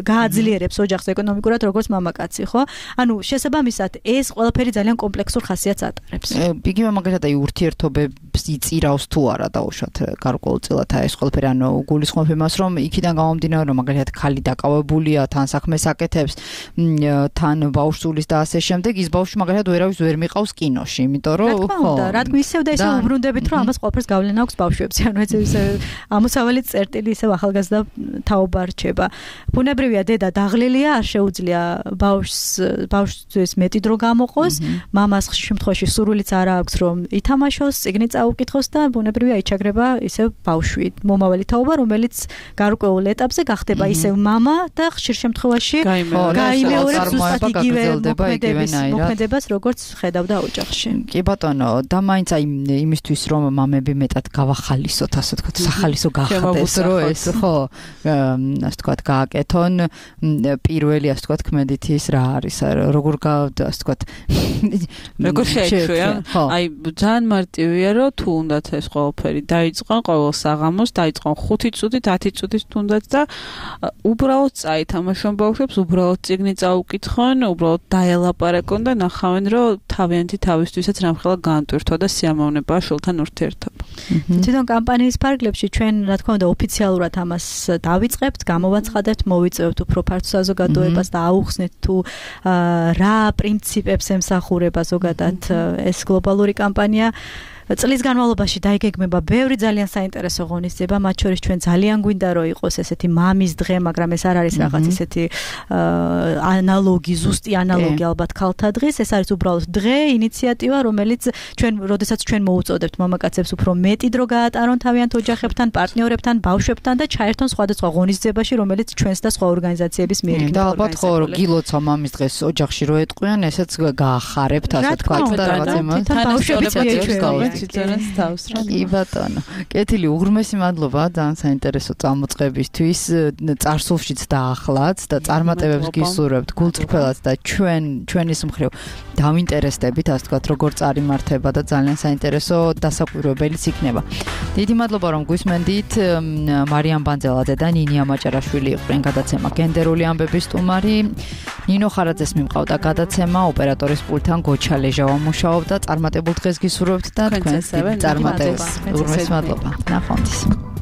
Speaker 4: გააძლიერებს ოჯახს ეკონომიკურად როგორც მამაკაცი, ხო? ანუ შესაბამისად ეს ყველაფერი ძალიან კომპლექსურ ხასიათს ატარებს.
Speaker 3: იგივე მაგალითად აი ურთიერთობებს იღებს, იწირავს თუ არა დაუშვათ გარკვეულწილად ეს ყველაფერი, ანუ გულისხმობ იმას, რომ იქიდან გამომდინარე, რომ მაგალითად ქალი დაკავებულია, თან საქმეს აკეთებს, თან ბავშვს და ასე შემდეგ, ის ბავშვი მაგალითად ვერავის ვერ მიყავს კინოში, იმიტომ რომ
Speaker 4: ხო, რა თქმა ისევ და ისევ უბრუნდებით, რომ ამას ყველაფერს გავლენა აქვს ბავშვებს, ანუ ეს ამოსავალი წერტილი ისევ ახალგაზრდა თაობა რჩება. ბუნებრივია დედა დაღლილია, არ შეუძლია ბავშვს მეტი დრო გამოყოს, მამას ხშირ შემთხვევაში სურვილიც არ აქვს, რომ ითამაშოს, წიგნი წაუკითხოს და ბუნებრივია იჩაგრება ისევ ბავშვი, მომავალი თაობა, რომელიც გარკვეულ ეტაპზე გახდება ისევ მამა და ხშირ შემთხვევაში გაიმეორებს ზუსტად იგივე მოქმედებას, როგორც ხედავდა ოჯახში.
Speaker 3: კი ბატონო, და მაინც აი იმისთვის რომ მამები მეტად გავახალისოთ, ასე ვთქვათ, სახალისო გახდეს, რომ ეს ხო, ასე ვთქვათ, გააკეთონ პირველი, ასე ვთქვათ, ქმედითის რა არის, როგორ ასე ვთქვათ,
Speaker 5: როგორ შეეშვია? აი ძალიან მარტივია, რომ თუ უნდათ ეს ყველაფერი დაიწყონ ყოველ საღამოს, დაიწყონ 5 წუთით, 10 წუთით თუნდაც და უბრალოდ წაითამაშონ ბავშვებს, უბრალოდ წიგნი წაუკითხონ, უბრალოდ დაელაპარაკონ და ნახავენ, რომ თავიანთი თავისთვისაც რამხელა განტვირთვა და სიამოვნებაა შვილთან ურთიერთობა.
Speaker 4: თვითონ კამპანიის ფარგლებში ჩვენ რა თქმა უნდა ოფიციალურად ამას დავიწყებთ, გამოვაცხადებთ, მოვიწევთ უფრო ფართო საზოგადოებას და აუხსნეთ თუ რა პრინციპებს ემსახურება ზოგადად ეს გლობალური კამპანია. წლის განმავლობაში დაიგეგმება ბევრი ძალიან საინტერესო ღონისძიება, მათ შორის ჩვენ ძალიან გვინდა რომ იყოს ესეთი მამის დღე, მაგრამ ეს არ არის რაღაც ესეთი ანალოგი, ზუსტი ანალოგი ალბათ ქალთა დღის, ეს არის უბრალოდ დღე, ინიციატივა, რომელიც როდესაც ჩვენ მოუწოდებთ მამაკაცებს უფრო მეტი დრო გაატარონ თავიანთ ოჯახებთან, პარტნიორებთან, ბავშვებთან და ჩაერთონ სხვადასხვა ღონისძიებაში, რომელიც ჩვენს და სხვა ორგანიზაციების მიერ იქნება.
Speaker 3: და ალბათ ხო გილოცა მამის დღეს ოჯახში რო ეტყვიან, ესეც გაახარებთ, ასე ვთქვათ და რაღაც იმას.
Speaker 4: ბავშვებიც მიეჩვევა.
Speaker 3: კი ბატონო. კეთილი, უღრმესი მადლობა ძალიან საინტერესო წამოწყებისთვის. წარსულშიც დაახლაც და წარმატებებს გისურვებთ გულწრფელად და ჩვენის მხრივ დავინტერესდებით, ასე ვთქვათ, როგორ წარიმართება და ძალიან საინტერესო დასაკვირვებელიც იქნება. დიდი მადლობა რომ გვისმენდით. მარიამ ბანძელაძე და ნინია მაჭარაშვილი იყვნენ გადაცემა გენდერული ამბების სტუმარი. ნინო ხარაძეს მიმყავდა გადაცემა, ოპერატორის პულტთან გოჩა ლეჟავა მუშაობდა. წარმატებულ დღეს გისურვებთ და თქვენს წარმატებას. უღრმესი მადლობა. ნახვამდის.